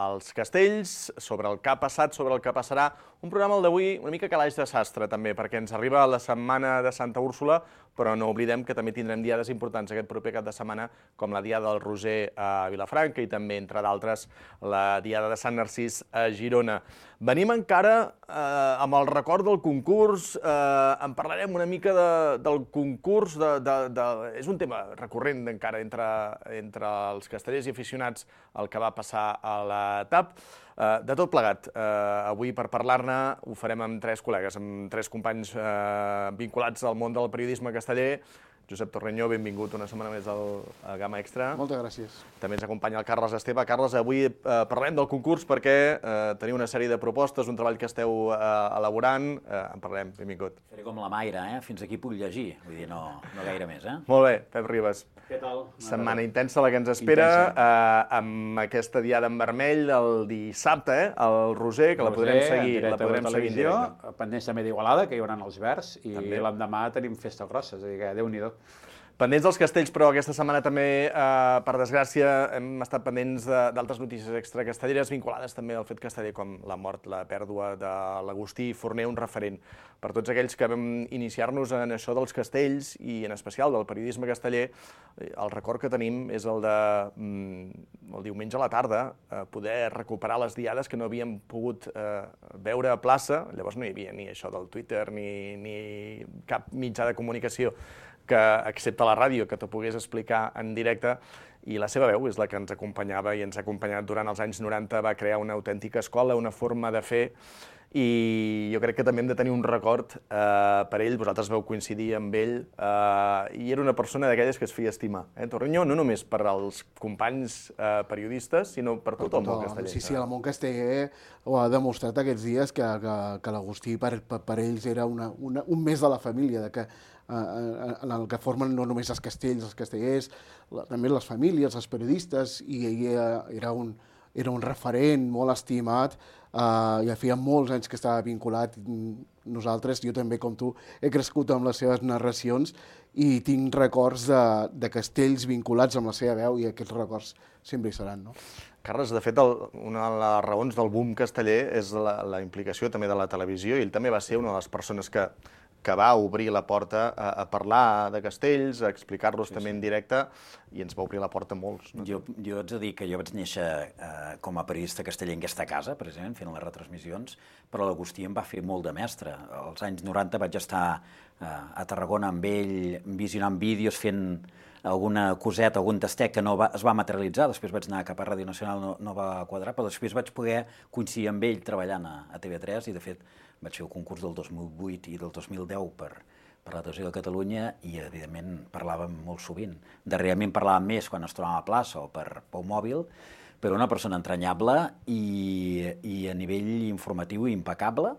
els castells, sobre el que ha passat, sobre el que passarà. Un programa, el d'avui, una mica calaix de sastre, també, perquè ens arriba la setmana de Santa Úrsula, però no oblidem que també tindrem diades importants aquest proper cap de setmana, com la diada del Roser a Vilafranca i també, entre d'altres, la diada de Sant Narcís a Girona. Venim encara eh, amb el record del concurs, eh, en parlarem una mica de, del concurs, de, de, de, és un tema recurrent encara entre, entre els castellers i aficionats el que va passar a la T A P. Eh, de tot plegat, eh, avui per parlar-ne ho farem amb tres col·legues, amb tres companys eh, vinculats al món del periodisme casteller. Josep Torrenyó, benvingut una setmana més al, al Gamma Extra. Moltes gràcies. També ens acompanya el Carles Esteve. Carles, avui eh, parlem del concurs perquè eh, teniu una sèrie de propostes, un treball que esteu eh, elaborant. Eh, en parlem, benvingut. Faré com la Mayra, eh? Fins aquí puc llegir. Vull dir, no, no gaire més, eh? Molt bé, Pep Ribas. Què tal? Setmana intensa la que ens espera, eh, amb aquesta diada en vermell el dissabte, eh? El Roser, que la podrem seguir, la podrem seguir en directe. Pendents també d'Igualada, que hi haurà els verds, i l'endemà tenim festa grossa, és a dir que Déu-n'hi-do. Pendents dels castells, però aquesta setmana també, eh, per desgràcia, hem estat pendents d'altres notícies extracastelleres vinculades també al fet casteller, com la mort, la pèrdua de l'Agustí Forner, un referent per tots aquells que vam iniciar-nos en això dels castells i en especial del periodisme casteller. El record que tenim és el de el diumenge a la tarda, poder recuperar les diades que no havíem pogut veure a plaça. Llavors no hi havia ni això del Twitter ni, ni cap mitjà de comunicació que, excepte la ràdio, que t'ho pogués explicar en directe, i la seva veu és la que ens acompanyava i ens ha acompanyat durant els anys noranta, va crear una autèntica escola, una forma de fer, i jo crec que també hem de tenir un record eh, per ell. Vosaltres vau coincidir amb ell, eh, i era una persona d'aquelles que es feia estimar. Eh? Torrenyó, no només per als companys eh, periodistes, sinó per tot el món casteller. Sí, sí, el món casteller ho ha demostrat aquests dies, que, que, que l'Agustí per, per, per ells era una, una, un mes de la família, de que en el que formen no només els castells, els castellers, la, també les famílies, els periodistes, i ell era un, era un referent molt estimat, eh, ja feia molts anys que estava vinculat. Nosaltres, jo també, com tu, he crescut amb les seves narracions i tinc records de, de castells vinculats amb la seva veu, i aquests records sempre hi seran, no? Carles, de fet, el, una de les raons del boom casteller és la, la implicació també de la televisió, i ell també va ser una de les persones que que va obrir la porta a, a parlar de castells, a explicar-los sí, també sí. en directe, i ens va obrir la porta a molts. No? Jo, jo haig de dir que jo vaig néixer eh, com a periodista casteller en aquesta casa, precisament, fent les retransmissions, però l'Agustí em va fer molt de mestre. Als anys noranta vaig estar eh, a Tarragona amb ell, visionant vídeos, fent alguna coseta, algun tastet que no va, es va materialitzar. Després vaig anar cap a Ràdio Nacional, no, no va quadrar, però després vaig poder coincidir amb ell treballant a, a T V tres, i de fet vaig fer el concurs del dos mil vuit i del dos mil deu per, per la Televisió de Catalunya, i evidentment parlàvem molt sovint. Darrerament parlàvem més quan es trobava a plaça o per pel mòbil, però una persona entranyable i, i a nivell informatiu impecable,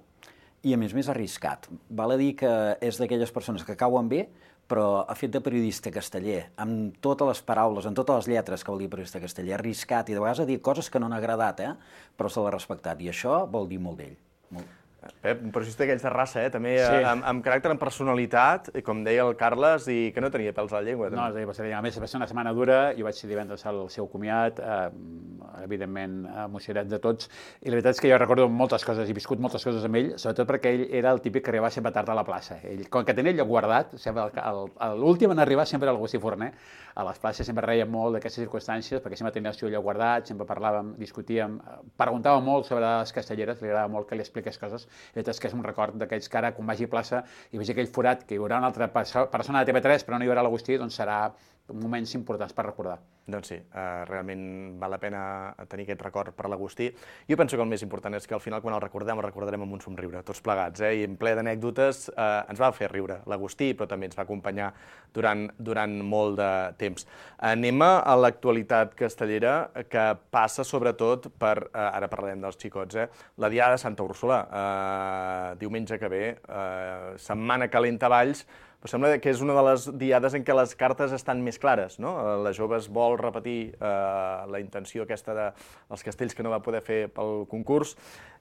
i a més més arriscat. Val a dir que és d'aquelles persones que cauen bé, però ha fet de periodista casteller, amb totes les paraules, amb totes les lletres que vol dir periodista casteller, arriscat, i de vegades ha dit coses que no han agradat, eh? Però se l'ha respectat, i això vol dir molt d'ell. Molt. Pep, un periodista d'aquells de raça, eh? també sí. amb, amb caràcter, amb personalitat, com deia el Carles, i que no tenia pèls a la llengua. No, va ser, a més, va ser una setmana dura, jo vaig ser divendres al seu comiat, eh, evidentment emocionat de tots, i la veritat és que jo recordo moltes coses, he viscut moltes coses amb ell, sobretot perquè ell era el típic que arribava sempre tard a la plaça. Ell, com que tenia el lloc guardat, l'últim en arribar sempre era l'Agustí Forner, a les places sempre reia molt d'aquestes circumstàncies, perquè sempre tenia el seu lloc guardat, sempre parlàvem, discutíem, preguntàvem molt sobre les castelleres, li agradava molt que li expliqués coses. La veritat és que és un record d'aquells que ara, quan vagi a plaça i vegi aquell forat, que hi haurà una altra persona de T V tres, però no hi haurà l'Agustí, doncs serà moments importants per recordar. Doncs sí, eh, realment val la pena tenir aquest record per l'Agustí. Jo penso que el més important és que al final, quan el recordem, el recordarem amb un somriure, tots plegats, eh? I en ple d'anècdotes eh, ens va fer riure l'Agustí, però també ens va acompanyar durant, durant molt de temps. Anem a l'actualitat castellera, que passa sobretot per, eh, ara parlarem dels xicots, eh? la Diada de Santa Úrsula, eh, diumenge que ve, eh, setmana calenta a Valls, però sembla que és una de les diades en què les cartes estan més clares, no? La Joves vol repetir eh, la intenció aquesta dels castells que no va poder fer pel concurs,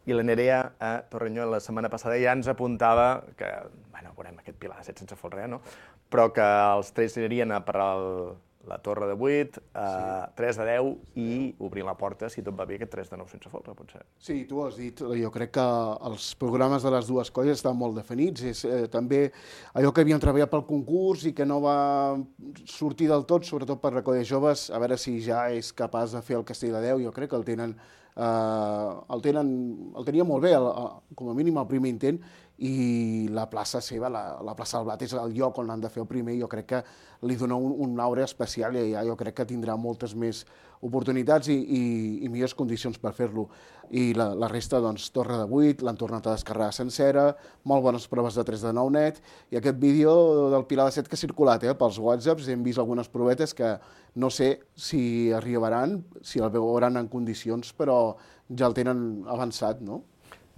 i la Nerea a Torrenyó la setmana passada ja ens apuntava que, bueno, veurem aquest Pilar de set sense folre, no? Però que els tres anirien a per el, la Torre de vuit, eh, sí. tres de deu, i obrir la porta, si tot va bé, aquest tres de nou sense folre, potser. Sí, tu ho has dit. Jo crec que els programes de les dues colles estan molt definits. És eh, també allò que havíem treballat pel concurs i que no va sortir del tot, sobretot per la colla joves, a veure si ja és capaç de fer el Castell de Déu. Jo crec que el tenen, eh, el tenen, el tenia molt bé, el, el, com a mínim el primer intent, i la plaça seva, la, la plaça del Blat, és el lloc on han de fer el primer, i jo crec que li dona un, un aure especial, i ja jo crec que tindrà moltes més oportunitats i, i, i millors condicions per fer-lo. I la, la resta, doncs, Torre de vuit, l'han tornat a descarregar sencera, molt bones proves de tres de nou net, i aquest vídeo del Pilar de set que ha circulat eh, pels whatsapps, hem vist algunes provetes que no sé si arribaran, si el veuran en condicions, però ja el tenen avançat, no?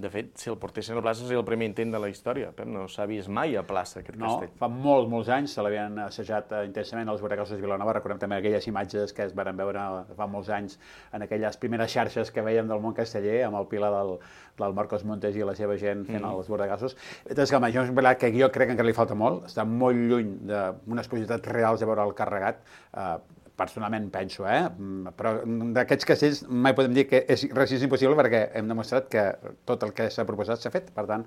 De fet, si el portessin a la plaça seria el primer intent de la història. Pep, no s'ha vist mai a plaça aquest no, castell. No, fa molts, molts anys se l'havien assajat intensament als Borregassos de Vilanova. Recordem també aquelles imatges que es van veure fa molts anys en aquelles primeres xarxes que vèiem del món casteller, amb el Pilar del, del Marcos Montes i la seva gent fent mm. els Borregassos. És que jo, que jo crec que encara li falta molt, està molt lluny d'unes possibilitats reals de veure el carregat. Eh, personalment penso, eh? Però d'aquests castells mai podem dir que és res és impossible perquè hem demostrat que tot el que s'ha proposat s'ha fet. Per tant,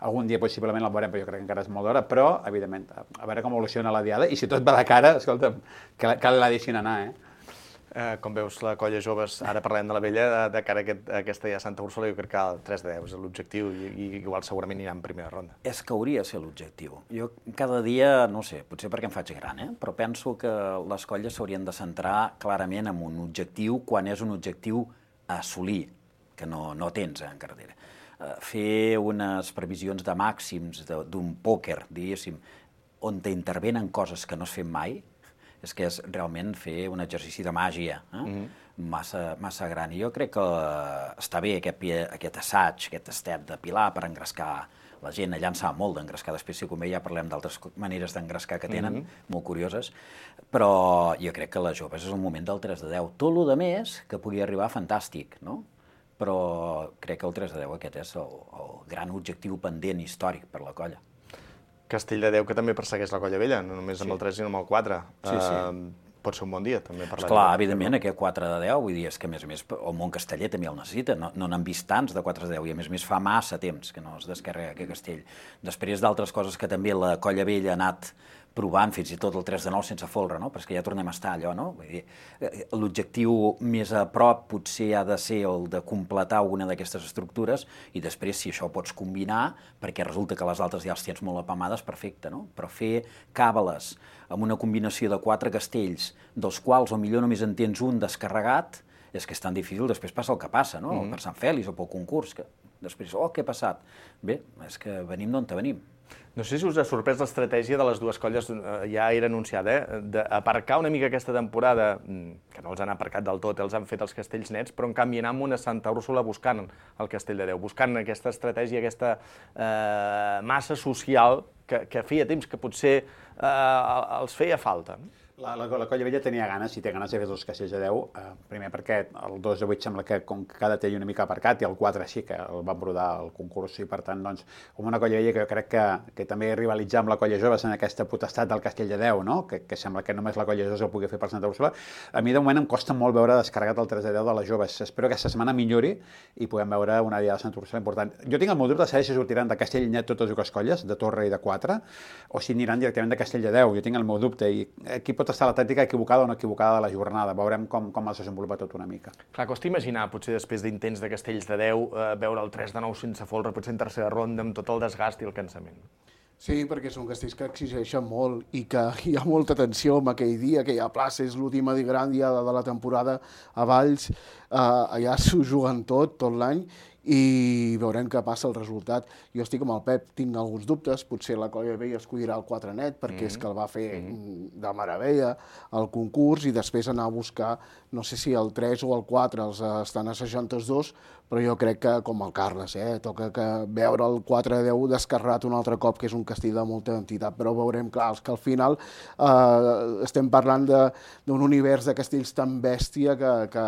algun dia possiblement el veurem, però jo crec que encara és molt d'hora, però, evidentment, a veure com evoluciona la diada i si tot va de cara, escolta'm, cal la deixin anar, eh? Eh, com veus, la colla joves, ara parlem de la vella, de, de cara a aquest, a aquesta ja Santa Úrsula, jo crec que el tres de deu és l'objectiu i, i igual segurament anirà en primera ronda. És que hauria de ser l'objectiu. Jo cada dia, no sé, potser perquè em faig gran, eh? Però penso que les colles s'haurien de centrar clarament en un objectiu quan és un objectiu a assolir, que no, no tens eh, en cartera. Uh, fer unes previsions de màxims d'un pòquer, diguéssim, on t'intervenen coses que no es fan mai, és que és realment fer un exercici de màgia eh? mm-hmm. massa, massa gran. I jo crec que està bé aquest, aquest assaig, aquest estet de Pilar per engrescar la gent. Allà en sap molt d'engrescar. Després, si convé, ja parlem d'altres maneres d'engrescar que tenen, mm-hmm. molt curioses. Però jo crec que les joves és el moment del tres de deu. Tot el de més que pugui arribar, fantàstic, no? Però crec que el tres de deu aquest és el, el gran objectiu pendent històric per la colla. Castell de Déu, que també persegueix la colla vella, no només amb sí. el tres, sinó amb el quatre. Sí, sí. Uh, pot ser un bon dia, també. Per Esclar, evidentment, aquest quatre de deu, vull dir, és que, a més a més, el món casteller també el necessita. No n'han no vist tants de quatre de deu, i a més a més fa massa temps que no es descarrega aquest castell. Després d'altres coses que també la colla vella ha anat provant, fins i tot el tres de nou sense folre, no? Però és que ja tornem a estar allò, no? Vull dir, l'objectiu més a prop potser ha de ser el de completar alguna d'aquestes estructures i després, si això ho pots combinar, perquè resulta que les altres ja els tens molt apamades, perfecte, no? Però fer càbales amb una combinació de quatre castells, dels quals o millor només en tens un descarregat, és que és tan difícil, després passa el que passa, no? Mm-hmm. Per Sant Fèlix o pel concurs, que després, oh, què ha passat? Bé, és que venim d'on te venim. No sé si us ha sorprès l'estratègia de les dues colles, ja era anunciada, eh? d'aparcar una mica aquesta temporada, que no els han aparcat del tot, els han fet els castells nets, però en canvi anar amb una Santa Úrsula buscant el Castell de Déu, buscant aquesta estratègia, aquesta eh, massa social que, que feia temps que potser eh, els feia falta. La, la, la colla vella tenia ganes, i té ganes de fer dos castells de deu, eh, primer perquè el dos de vuit sembla que com que cada té una mica aparcat, i el quatre sí que el van brodar al concurs, i per tant, doncs, com una colla vella que jo crec que, que també rivalitzar amb la colla joves en aquesta potestat del castell de deu, no? que, que sembla que només la colla joves el pugui fer per Santa Úrsula, a mi de moment em costa molt veure descarregat el tres de deu de les joves. Espero que aquesta setmana millori i puguem veure una dia de Santa Úrsula important. Jo tinc el meu dubte de saber si sortiran de castell net totes dues colles, de torre i de quatre, o si aniran directament de castell de deu. Jo tinc el meu dubte, i aquí pot estar la tàctica equivocada o no equivocada de la jornada. Veurem com, com es desenvolupa tot una mica. Clar, costa imaginar, potser després d'intents de castells de deu, eh, veure el tres de nou sense folre, potser en tercera ronda, amb tot el desgast i el cansament. Sí, perquè són castells que exigeixen molt i que hi ha molta tensió en aquell dia, aquella plaça és l'última gran dia de la temporada a Valls, eh, allà s'ho juguen tot, tot l'any, i veurem què passa el resultat. Jo estic amb el Pep, tinc alguns dubtes, potser la colla vella escollirà el quatre net, perquè mm-hmm. és que el va fer mm-hmm. de meravella al concurs, i després anar a buscar, no sé si el tres o el quatre els estan assajant tots dos, però jo crec que, com el Carles, eh, toca que veure el quatre de deu descarregat un altre cop, que és un castell de molta entitat, però veurem, clar, que al final eh, estem parlant d'un univers de castells tan bèstia que, que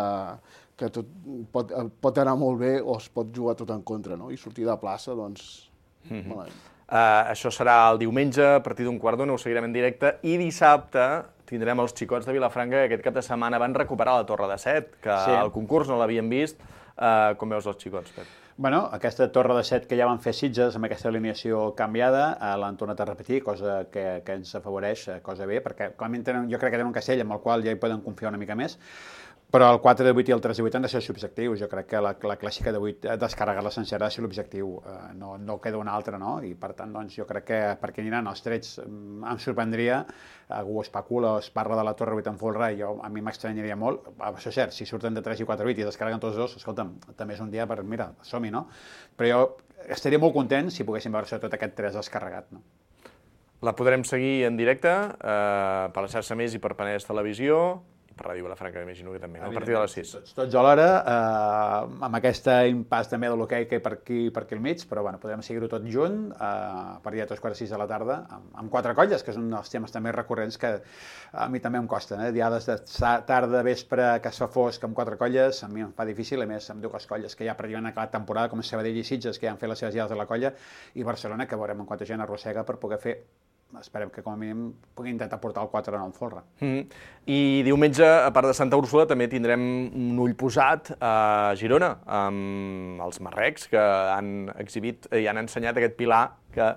que tot pot, pot anar molt bé o es pot jugar tot en contra, no? I sortir de plaça, doncs, mm-hmm. malament. Uh, això serà el diumenge, a partir d'un quart d'una, ho seguirem en directe, i dissabte tindrem els xicots de Vilafranca, que aquest cap de setmana van recuperar la Torre de Set, que sí. al concurs no l'havien vist. Uh, com veus els xicots, Pep? Bueno, aquesta Torre de Set que ja van fer Sitges amb aquesta alineació canviada, eh, l'han tornat a repetir, cosa que, que ens afavoreix, cosa bé, perquè clarament tenen, jo crec que tenen un castell amb el qual ja hi poden confiar una mica més. Però el quatre de vuit i el tres de vuit han de ser els objectius. Jo crec que la, la clàssica de vuit, descarregar-la sencera ha de ser l'objectiu. Eh, no, no queda una altra, no? I per tant, doncs, jo crec que perquè aniran els trets em sorprendria, algú especula o es parla de la Torre vuit en folre, i jo, a mi m'estranyaria molt. Això és cert, si surten de tres i quatre vuit i descarreguen tots dos, escolta'm, també és un dia per, mira, som-hi, no? Però jo estaria molt content si poguéssim veure sobretot aquest tres descarregat, no? La podrem seguir en directe, eh, per la xarxa Més i per Penedès Televisió. per Ràdio Vilafranca, m'imagino que també, no? A partir de les sis. Tots, tots a l'hora, eh, amb aquesta impàs també de l'hoquei que hi per aquí, per aquí al mig, però bueno, podem seguir-ho tot junt, eh, a partir de tres quarts de sis de la tarda, amb, amb quatre colles, que és un dels temes també recurrents que a mi també em costa, eh? Diades de tarda, vespre, que es fa fosc amb quatre colles, a mi em fa difícil, a més amb dues colles que ja pràcticament han acabat temporada, com Sabadell i Sitges, que ja han fet les seves diades de la colla, i Barcelona, que veurem en quanta gent arrossega per poder fer, esperem que com a mínim pugui intentar portar el quatre de nou en folre. Mm. I diumenge, a part de Santa Úrsula, també tindrem un ull posat a Girona, amb els marrecs, que han exhibit i han ensenyat aquest pilar que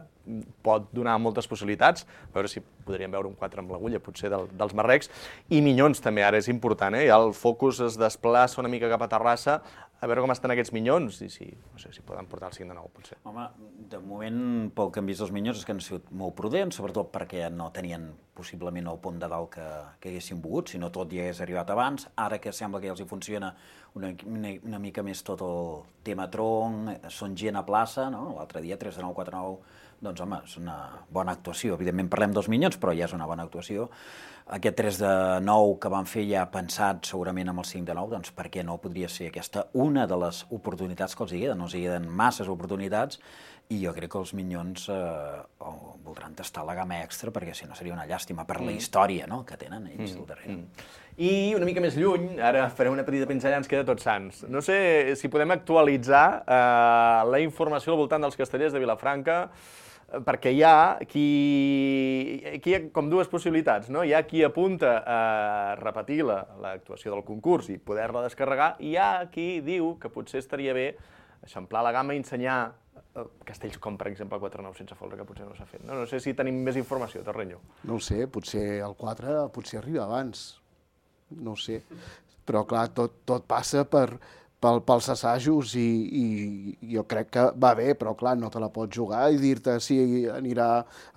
pot donar moltes possibilitats, a veure si podríem veure un quatre amb l'agulla, potser del, dels marrecs, i minyons també, ara és important, eh? Ja el focus es desplaça una mica cap a Terrassa, a veure com estan aquests minyons i si, no sé, si poden portar el cinc de nou, potser. Home, de moment, pel que hem vist dels minyons, és que han sigut molt prudents, sobretot perquè no tenien possiblement el pont de dalt que, que haguessin volgut, si no tot hi hagués arribat abans. Ara que sembla que ja els hi funciona una, una, una mica més tot el tema tronc, són gent a plaça, no? L'altre dia, tres de nou, quatre de nou, doncs, home, és una bona actuació. Evidentment parlem dels minyons, però ja és una bona actuació. Aquest tres de nou que van fer ja pensat segurament amb el cinc de nou, doncs per què no podria ser aquesta una de les oportunitats que els hi queden? No els hi queden masses oportunitats i jo crec que els minyons eh, voldran tastar la gamma extra perquè si no seria una llàstima per la història, no?, que tenen ells al darrere. Mm. I una mica més lluny, ara farem una petita pinzellada, ens queda Tots Sants. No sé si podem actualitzar eh, la informació al voltant dels castellers de Vilafranca, perquè hi ha qui, aquí hi ha com dues possibilitats, no? Hi ha qui apunta a repetir l'actuació del concurs i poder-la descarregar, i hi ha qui diu que potser estaria bé eixamplar la gamma i ensenyar castells com, per exemple, el quatre nou sense folre, que potser no s'ha fet. No, no sé si tenim més informació, Terrenyo. No ho sé, potser el quatre potser arriba abans, no ho sé. Però, clar, tot, tot passa per... Pel, pels assajos i, i jo crec que va bé, però clar, no te la pots jugar i dir-te si anirà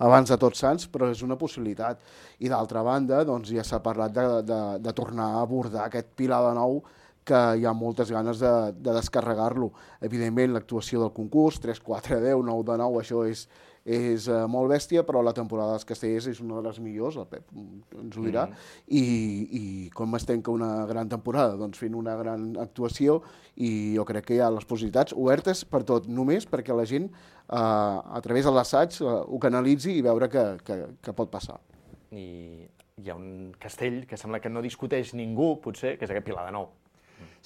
abans de Tots Sants, però és una possibilitat. I d'altra banda, doncs ja s'ha parlat de, de, de tornar a abordar aquest pilar de nou que hi ha moltes ganes de, de descarregar-lo. Evidentment, l'actuació del concurs, tres, quatre, deu, nou de nou, això és, és uh, molt bèstia, però la temporada dels castellers és una de les millors, el Pep ens ho dirà, mm. i, i com es tanca una gran temporada? Doncs fent una gran actuació, i jo crec que hi ha les possibilitats obertes per tot, només perquè la gent uh, a través de l'assaig uh, ho canalitzi i veure que, que, que pot passar. I hi ha un castell que sembla que no discuteix ningú, potser, que és aquest Pilar de Nou.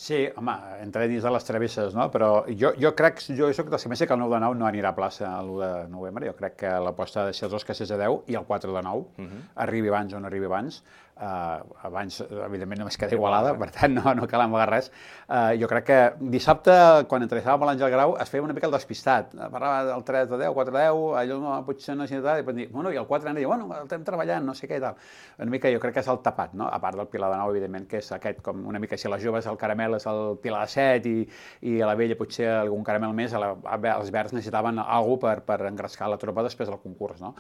Sí, home, entre dins de les travesses, no? Però jo, jo crec, jo soc dels que pensa que el nou de nou no anirà a plaça l'u de novembre. Jo crec que l'aposta ha de ser els dos castells de deu i el quatre de nou, uh-huh. arribi abans o no arribi abans. Uh, abans, evidentment, només queda Igualada, per tant, no, no cal amagar res. Uh, jo crec que dissabte, quan entrevistàvem l'Àngel Grau, es feia una mica el despistat. Parlava del tres de deu, quatre de deu, allò no, potser no és ni tal, i pot dir, bueno, i el quatre anava, bueno, el estem treballant, no sé què i tal. Una mica jo crec que és el tapat, no? A part del Pilar de Nou, evidentment, que és aquest, com una mica, si a les joves el caramel és el Pilar de set i, i a la vella potser algun caramel més, a la, els verds necessitaven alguna cosa per, per engrescar la tropa després del concurs, no?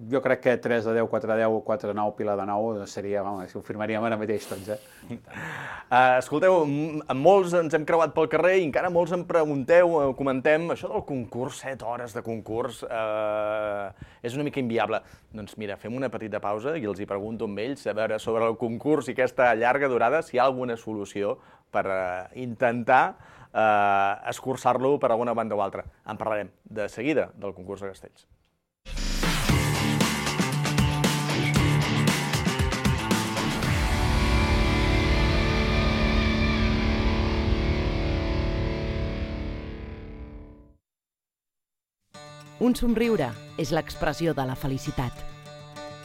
Jo crec que tres de deu, quatre de deu, quatre de nou, Pilar de nou seria, vamos, ho firmaríem ara mateix tots, eh? Uh, escolteu, amb molts ens hem creuat pel carrer i encara molts em pregunteu, comentem, això del concurs, set hores de concurs, uh, és una mica inviable. Doncs mira, fem una petita pausa i els hi pregunto amb ells, a veure, sobre el concurs i aquesta llarga durada, si hi ha alguna solució per uh, intentar uh, escurçar-lo per alguna banda o altra. En parlarem de seguida del concurs de castells. Un somriure és l'expressió de la felicitat.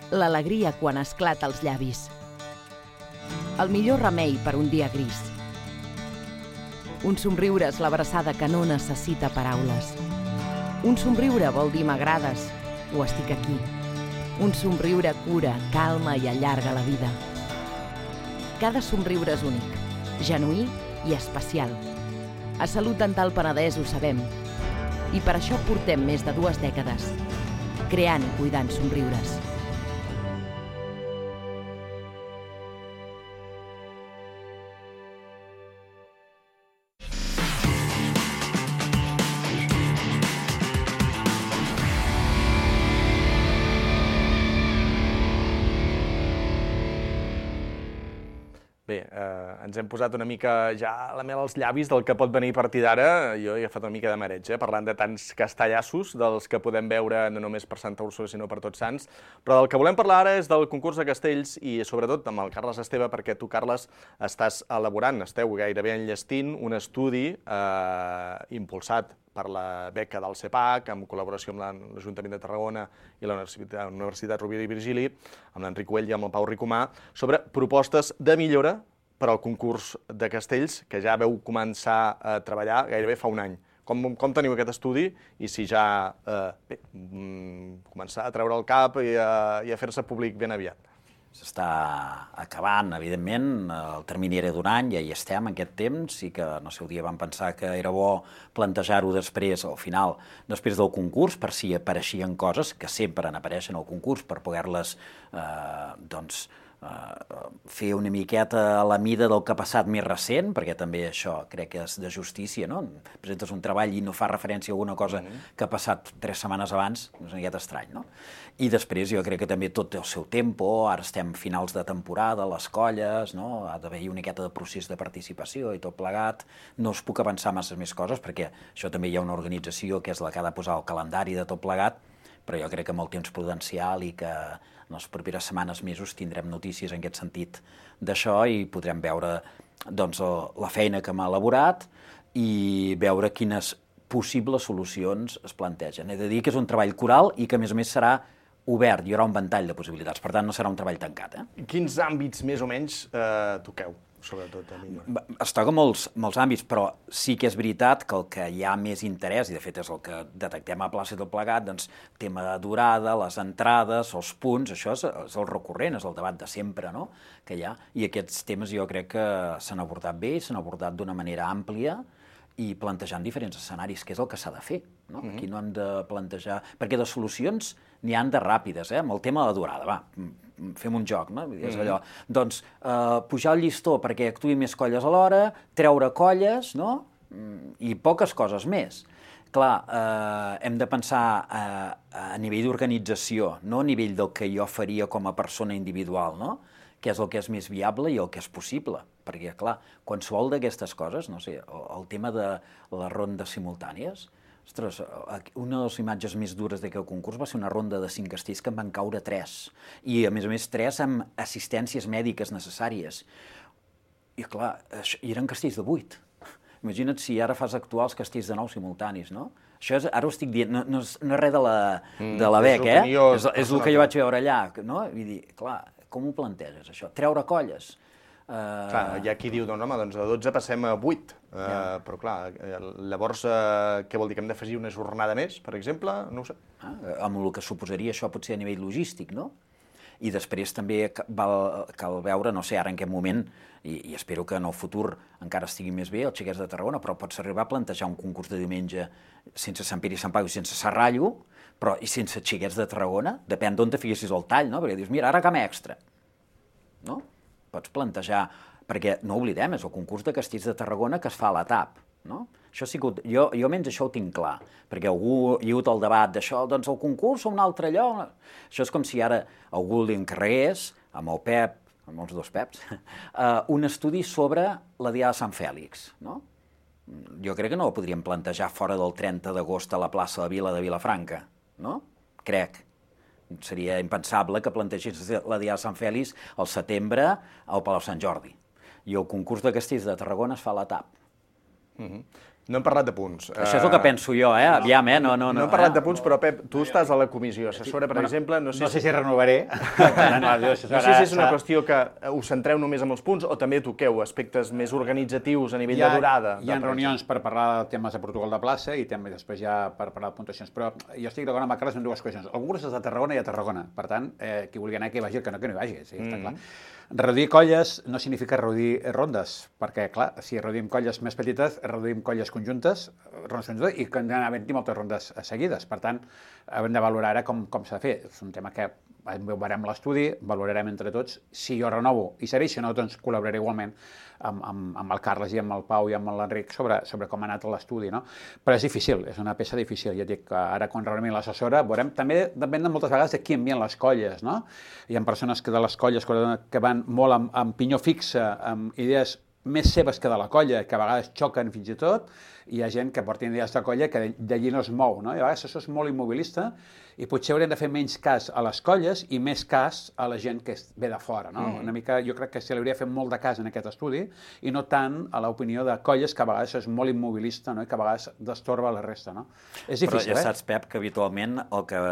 L'alegria quan esclata als llavis. El millor remei per un dia gris. Un somriure és l'abraçada que no necessita paraules. Un somriure vol dir m'agrades o estic aquí. Un somriure cura, calma i allarga la vida. Cada somriure és únic, genuí i especial. A Salut Dental Penedès ho sabem. I per això portem més de dues dècades, creant i cuidant somriures. Bé, eh, ens hem posat una mica ja la mel als llavis del que pot venir a partir d'ara. Jo he agafat una mica de mareig, eh, parlant de tants castellassos, dels que podem veure no només per Santa Úrsula, sinó per Tots Sants. Però del que volem parlar ara és del concurs de castells i, sobretot, amb el Carles Esteve, perquè tu, Carles, estàs elaborant, esteu gairebé enllestint un estudi eh, impulsat per la beca del CEPAC, en col·laboració amb l'Ajuntament de Tarragona i la Universitat, Universitat Rovira i Virgili, amb l'Enric Güell i amb el Pau Ricomà, sobre propostes de millora per al concurs de castells, que ja veu començar a treballar gairebé fa un any. Com, com teniu aquest estudi i si ja eh, bé, començar a treure el cap i a, i a fer-se públic ben aviat? S'està acabant, evidentment, el termini era d'un any, ja hi estem en aquest temps, i que, no sé, un dia vam pensar que era bo plantejar-ho després, al final, després del concurs, per si apareixien coses, que sempre n'apareixen al concurs, per poder-les, eh, doncs, fer una miqueta a la mida del que ha passat més recent, perquè també això crec que és de justícia, no? Presentes un treball i no fa referència a alguna cosa que ha passat tres setmanes abans, és una miqueta estrany, no? I després jo crec que també tot té el seu tempo, ara estem finals de temporada, les colles, no? Ha d'haver-hi una miqueta de procés de participació i tot plegat, no us puc avançar massa més coses, perquè això també hi ha una organització que és la que ha de posar el calendari de tot plegat, però jo crec que amb el temps prudencial i que en les properes setmanes, mesos, tindrem notícies en aquest sentit d'això i podrem veure doncs, la feina que m'ha elaborat i veure quines possibles solucions es plantegen. He de dir que és un treball coral i que, a més a més, serà obert, hi haurà un ventall de possibilitats, per tant, no serà un treball tancat. Eh? Quins àmbits, més o menys, eh, toqueu? Sobretot a millor. Es toca molts, molts àmbits, però sí que és veritat que el que hi ha més interès, i de fet és el que detectem a plaça del plegat, doncs, tema de durada, les entrades, els punts, això és, és el recurrent, és el debat de sempre, no?, que hi ha, i aquests temes jo crec que s'han abordat bé, s'han abordat d'una manera àmplia i plantejant diferents escenaris, que és el que s'ha de fer, no? Mm-hmm. Aquí no hem de plantejar... Perquè de solucions n'hi han de ràpides, eh? Amb el tema de la durada, va, fem un joc, no? És allò, doncs, eh, pujar el llistó perquè actuïn més colles alhora, treure colles, no? I poques coses més. Clar, eh, hem de pensar eh, a nivell d'organització, no a nivell del que jo faria com a persona individual, no? Que és el que és més viable i el que és possible. Perquè, clar, qualsevol d'aquestes coses, no sé, el, el tema de les rondes simultànies, ostres, una de les imatges més dures d'aquest concurs va ser una ronda de cinc castells que en van caure tres. I, a més a més, tres amb assistències mèdiques necessàries. I, clar, i eren castells de vuit. Imagina't si ara fas actuar els castells de nou simultanis, no? Això és, ara ho estic dient, no, no, és, no és res de la, de la B E C, eh? És, és el que jo vaig veure allà, no? Vull dir, clar, com ho planteges, això? Treure colles? Uh... Clar, hi ha qui diu, doncs, home, doncs de dotze passem a vuit, uh, yeah. Però clar, llavors uh, què vol dir, que hem d'afegir una jornada més, per exemple? No ho sé. Ah, amb el que suposaria això potser a nivell logístic, no? I després també val, cal veure, no sé, ara en aquest moment, i, i espero que en el futur encara estigui més bé, els xiquets de Tarragona, però pots arribar a plantejar un concurs de diumenge sense Sant Pere i Sant Pau i sense Serrallo, però i sense xiquets de Tarragona, depèn d'on te fiquessis el tall, no? Perquè dius, mira, ara cam extra, no? Pots plantejar, perquè no oblidem, és el concurs de castells de Tarragona que es fa a la T A P, no? Això ha sigut, jo, jo almenys això ho tinc clar, perquè algú hi ha hagut el debat d'això, doncs el concurs o un altre lloc. Això és com si ara algú li encarregués, amb el Pep, amb els dos Peps, uh, un estudi sobre la Diada de Sant Fèlix, no? Jo crec que no ho podríem plantejar fora del trenta d'agost a la plaça de Vila de Vilafranca, no? Crec. Seria impensable que plantegés la Diada de Sant Fèlix al setembre al Palau Sant Jordi. I el concurs de castells de Tarragona es fa a la T A P. Mm-hmm. No hem parlat de punts. Això és el que penso jo, eh? Aviam, eh? No, no, no, no hem parlat de punts, però, Pep, tu estàs a la comissió assessora, per exemple... No sé, no sé si renovaré. No sé si és una qüestió que us centreu només en els punts o també toqueu aspectes més organitzatius a nivell de durada. Hi ha reunions per parlar de temes de protocol de plaça i també després ja per parlar de puntuacions, però jo estic d'acord amb el Carles en dues qüestions. El concurs és de Tarragona i a Tarragona, per tant, eh, qui vulgui anar que vagi, el que no, que no hi vagi, sí, està clar. Reduir colles no significa reduir rondes, perquè, clar, si reduïm colles més petites, reduïm colles conjuntes, rondes conjuntes, i que han d'haver-hi moltes rondes seguides. Per tant, hem de valorar ara com, com s'ha de fer. És un tema que veurem l'estudi, valorarem entre tots. Si jo renovo i serveix, si no, doncs col·laboraré igualment amb, amb, amb el Carles i amb el Pau i amb l'Enric sobre, sobre com ha anat l'estudi, no? Però és difícil, és una peça difícil. Ja dic que ara, quan reunim l'assessora, veurem, també depèn de moltes vegades de qui envien les colles, no? Hi ha persones que de les colles que van molt amb, amb pinyó fixe, amb idees més seves que de la colla, que a vegades xoquen fins i tot, i hi ha gent que porta idees de colla que d'allí no es mou, no? I a vegades això és molt immobilista, i potser haurem de fer menys cas a les colles i més cas a la gent que ve de fora, no? Mm. Una mica, jo crec que se li hauria de fer molt de cas en aquest estudi, i no tant a l'opinió de colles, que a vegades és molt immobilista, no? I que a vegades destorba la resta, no? És difícil, Però ja eh? saps, Pep, que habitualment el que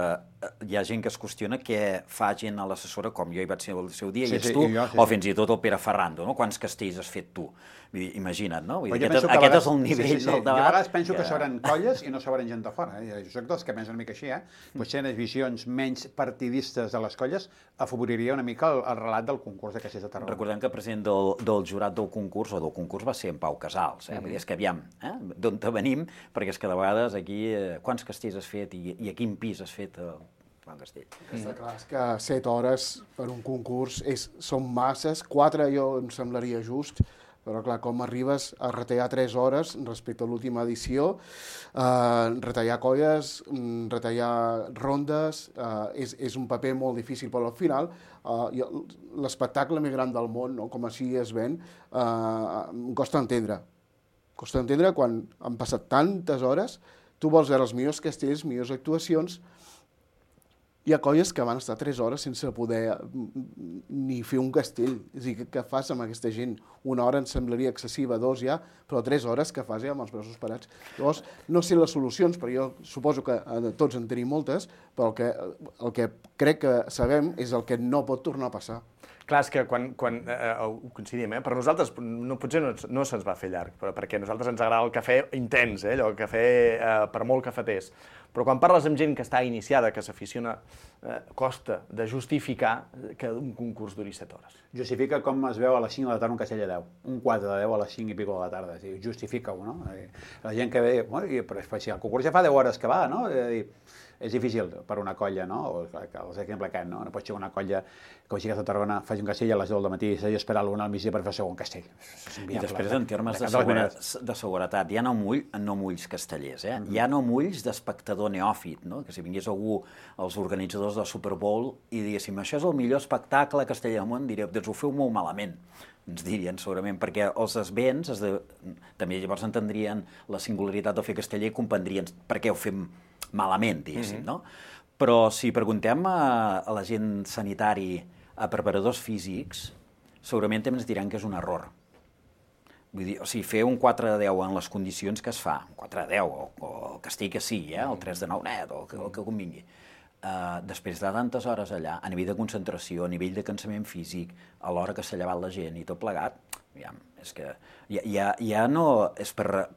hi ha gent que es qüestiona què fa gent a l'assessora, com jo hi vaig ser el seu dia, Sí, i ets sí, tu, i jo, sí, o sí. fins i tot el Pere Ferrando, no? Quants castells has fet tu? Vull dir, imagina't, no? Vull dir, Però jo aquest penso que a aquest vegades- és el nivell sí, sí, sí. del debat. Jo a vegades penso que que- s'obren colles i no s'obren gent de fora. Eh? Jo soc dels que pensen una mica així, eh? Potser les visions menys partidistes de les colles afavoriria una mica el, el relat del concurs de Castells de Tarragona. Recordem que el president del, del jurat del concurs, o del concurs, va ser en Pau Casals. Eh? Mhm. Vull dir, és que aviam, eh? d'on te venim, perquè és que de vegades aquí, eh, quants castells has fet i, i a quin pis has fet el Joan Castell? Està clar, és que set hores per un concurs és, són masses, quatre jo em semblaria just, però clar, com arribes a retallar tres hores respecte a l'última edició, eh, retallar colles, mm, retallar rondes, eh, és, és un paper molt difícil, però al final eh, l'espectacle més gran del món, no? Com així es ven, eh, em costa entendre. Costa entendre quan han passat tantes hores, tu vols veure els millors castells, millors actuacions. Hi ha colles que van estar tres hores sense poder ni fer un castell. És a dir, què, què fas amb aquesta gent? Una hora em semblaria excessiva, dos ja, però tres hores què fas ja amb els braços parats? Llavors, no sé les solucions, però jo suposo que eh, tots en tenim moltes, però el que, el que crec que sabem és el que no pot tornar a passar. Clar, és que quan, quan eh, ho coincidim, eh? Per nosaltres no, potser no, no se'ns va fer llarg, però perquè a nosaltres ens agrada el cafè intens, eh? Allò, el cafè eh, per molt cafeters. Però quan parles amb gent que està iniciada, que s'aficiona, eh, costa de justificar que un concurs duri set hores. Justifica com es veu a les cinc de la tarda un castell de deu. Un quatre de deu a les cinc i pico de la tarda. És dir, justifica-ho, no? La gent que ve, bueno, i, però si el concurs ja fa deu hores que va, no? És, dir, és difícil per una colla, no? O l'exemple aquest, no? No pot ser una colla que vagi a Tarragona, faci un castell a les deu del matí i s'hagi d'esperar a l'una al migdia per fer el segon castell. I després, en termes de, segura, de seguretat, hi ha no, mull, no mulls castellers, eh? Hi ha no mulls d'espectador neòfit, no? Que si vingués algú, els organitzadors del Super Bowl, i diguéssim, això és el millor espectacle casteller del món, diria, doncs ho feu molt malament, ens dirien segurament, perquè els esvents es de... també llavors entendrien la singularitat de fer casteller i comprendrien per què ho fem malament, diguéssim, mm-hmm. no? Però si preguntem a, a la gent sanitari, a preparadors físics, segurament també ens diran que és un error. Vull dir, o sigui, fer un quatre de deu en les condicions que es fa, un quatre de deu, o, o el castell que sigui, eh? El tres de nou net, o el que, el que convingui, uh, després de tantes hores allà, a nivell de concentració, a nivell de cansament físic, a l'hora que s'ha llevat la gent i tot plegat, aviam, és que ja, ja, ja no és per,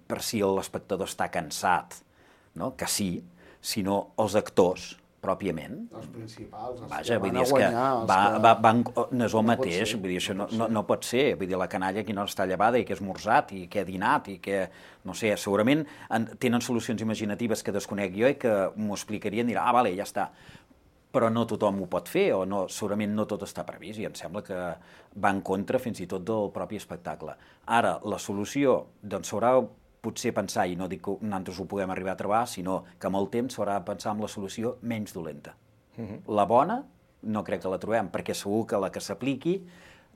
per si l'espectador està cansat, no? Que sí, sinó els actors, pròpiament. Els principals, els Vaja, que vull van dir, a és que guanyar, els va, que... va, van, no és el No pot mateix, ser, vull dir, això no, no pot no, ser. no pot ser, vull dir, la canalla que no està llevada i que és morsat i que ha dinat i que, no sé, segurament en, tenen solucions imaginatives que desconec jo i que m'ho explicarien i dirà, ah, vale, ja està. Però no tothom ho pot fer, o no, segurament no tot està previst, i em sembla que va en contra fins i tot del propi espectacle. Ara, la solució, doncs s'haurà potser pensar, i no dic que nosaltres ho puguem arribar a trobar, sinó que amb el temps s'haurà de pensar en la solució menys dolenta. Uh-huh. La bona no crec que la trobem, perquè segur que la que s'apliqui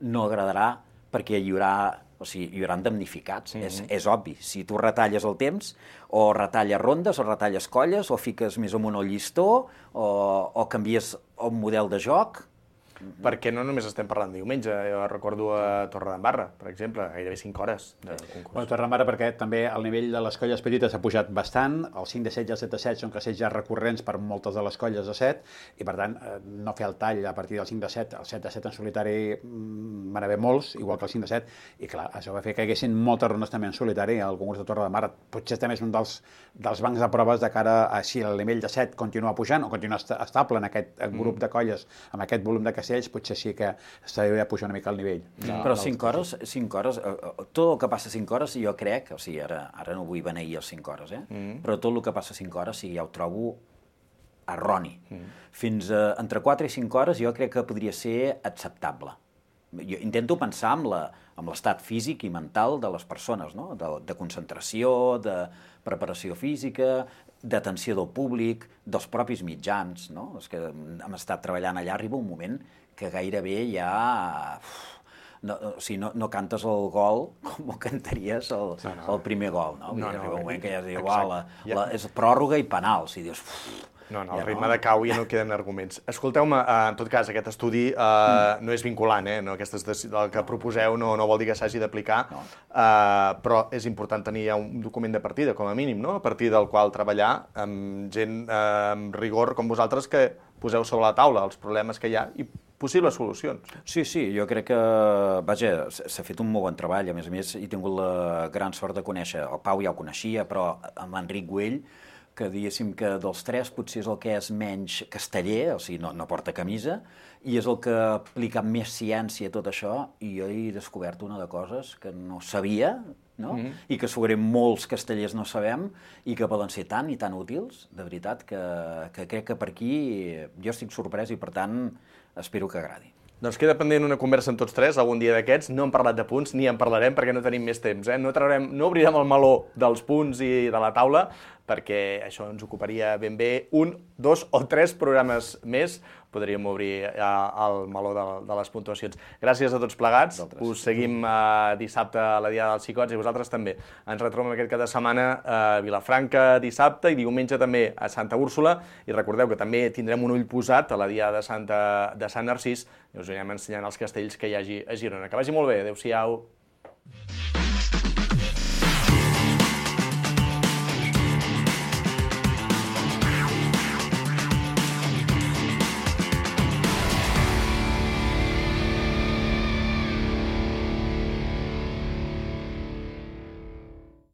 no agradarà perquè hi haurà, o sigui, hi haurà damnificats, uh-huh. és, és obvi. Si tu retalles el temps, o retalles rondes, o retalles colles, o fiques més amunt el llistó, o, o canvies el model de joc... Perquè no només estem parlant diumenge, jo recordo a Torredembarra, per exemple, gairebé cinc hores de concurs. Bueno, Torredembarra perquè també el nivell de les colles petites ha pujat bastant, el cinc de set i el set de set són castells ja recurrents per moltes de les colles de set, i per tant no fer el tall a partir del cinc de set, el set de set en solitari van haver molts, igual que el cinc de set, i clar, això va fer que hi haguessin moltes rondes també en solitari al concurs de Torredembarra. Potser també és un dels, dels bancs de proves de cara a si el nivell de set continua pujant o continua est estable en aquest grup de colles, amb aquest volum de castells, Castells potser sí que s'hauria de pujar una mica al nivell. De, Però cinc hores, cinc hores, tot el que passa a cinc hores, jo crec, o sigui, ara, ara no vull beneir els cinc hores, eh? Mm. però tot el que passa a cinc hores, sí, ja ho trobo erroni. Mm. Fins a, entre quatre i cinc hores jo crec que podria ser acceptable. Jo intento pensar amb la, amb l'estat físic i mental de les persones, no? de, de concentració, de preparació física, d'atenció del públic, dels propis mitjans, no? És que hem estat treballant allà, arriba un moment que gairebé ja... No, o sigui, no, no cantes el gol com ho cantaries el, no, no. el primer gol, no? no, no arriba un moment que ja es diu, la, la, és pròrroga i penal, si dius... Uf, no, no, el ja ritme no. de cau ja no queden arguments. Escolteu-me, en tot cas, aquest estudi eh, mm. no és vinculant, eh? No, aquestes, el que proposeu no, no vol dir que s'hagi d'aplicar, no. eh, però és important tenir ja un document de partida, com a mínim, no? A partir del qual treballar amb gent eh, amb rigor com vosaltres que poseu sobre la taula els problemes que hi ha i possibles solucions. Sí, sí, jo crec que, vaja, s'ha fet un molt bon treball, a més a més he tingut la gran sort de conèixer, el Pau ja ho coneixia, però amb l'Enric Güell, que diguéssim que dels tres potser és el que és menys casteller, o sigui, no, no porta camisa, i és el que aplica més ciència a tot això, i jo he descobert una de coses que no sabia, no? Mm-hmm. I que segurament molts castellers no sabem, i que poden ser tan i tan útils, de veritat, que, que crec que per aquí jo estic sorprès i, per tant, espero que agradi. Doncs queda pendent una conversa amb tots tres, algun dia d'aquests. No hem parlat de punts, ni en parlarem perquè no tenim més temps. Eh? No, traurem, no obrirem el meló dels punts i de la taula, perquè això ens ocuparia ben bé un, dos o tres programes més. Podríem obrir eh, el meló de, de les puntuacions. Gràcies a tots plegats. Vosaltres. Us seguim eh, dissabte a la Diada dels Xicots i vosaltres també. Ens retrobem aquest cap de setmana a Vilafranca dissabte i diumenge també a Santa Úrsula. I recordeu que també tindrem un ull posat a la Diada de, Santa, de Sant Narcís i us anirem ensenyant els castells que hi hagi a Girona. Que vagi molt bé. Adéu-siau.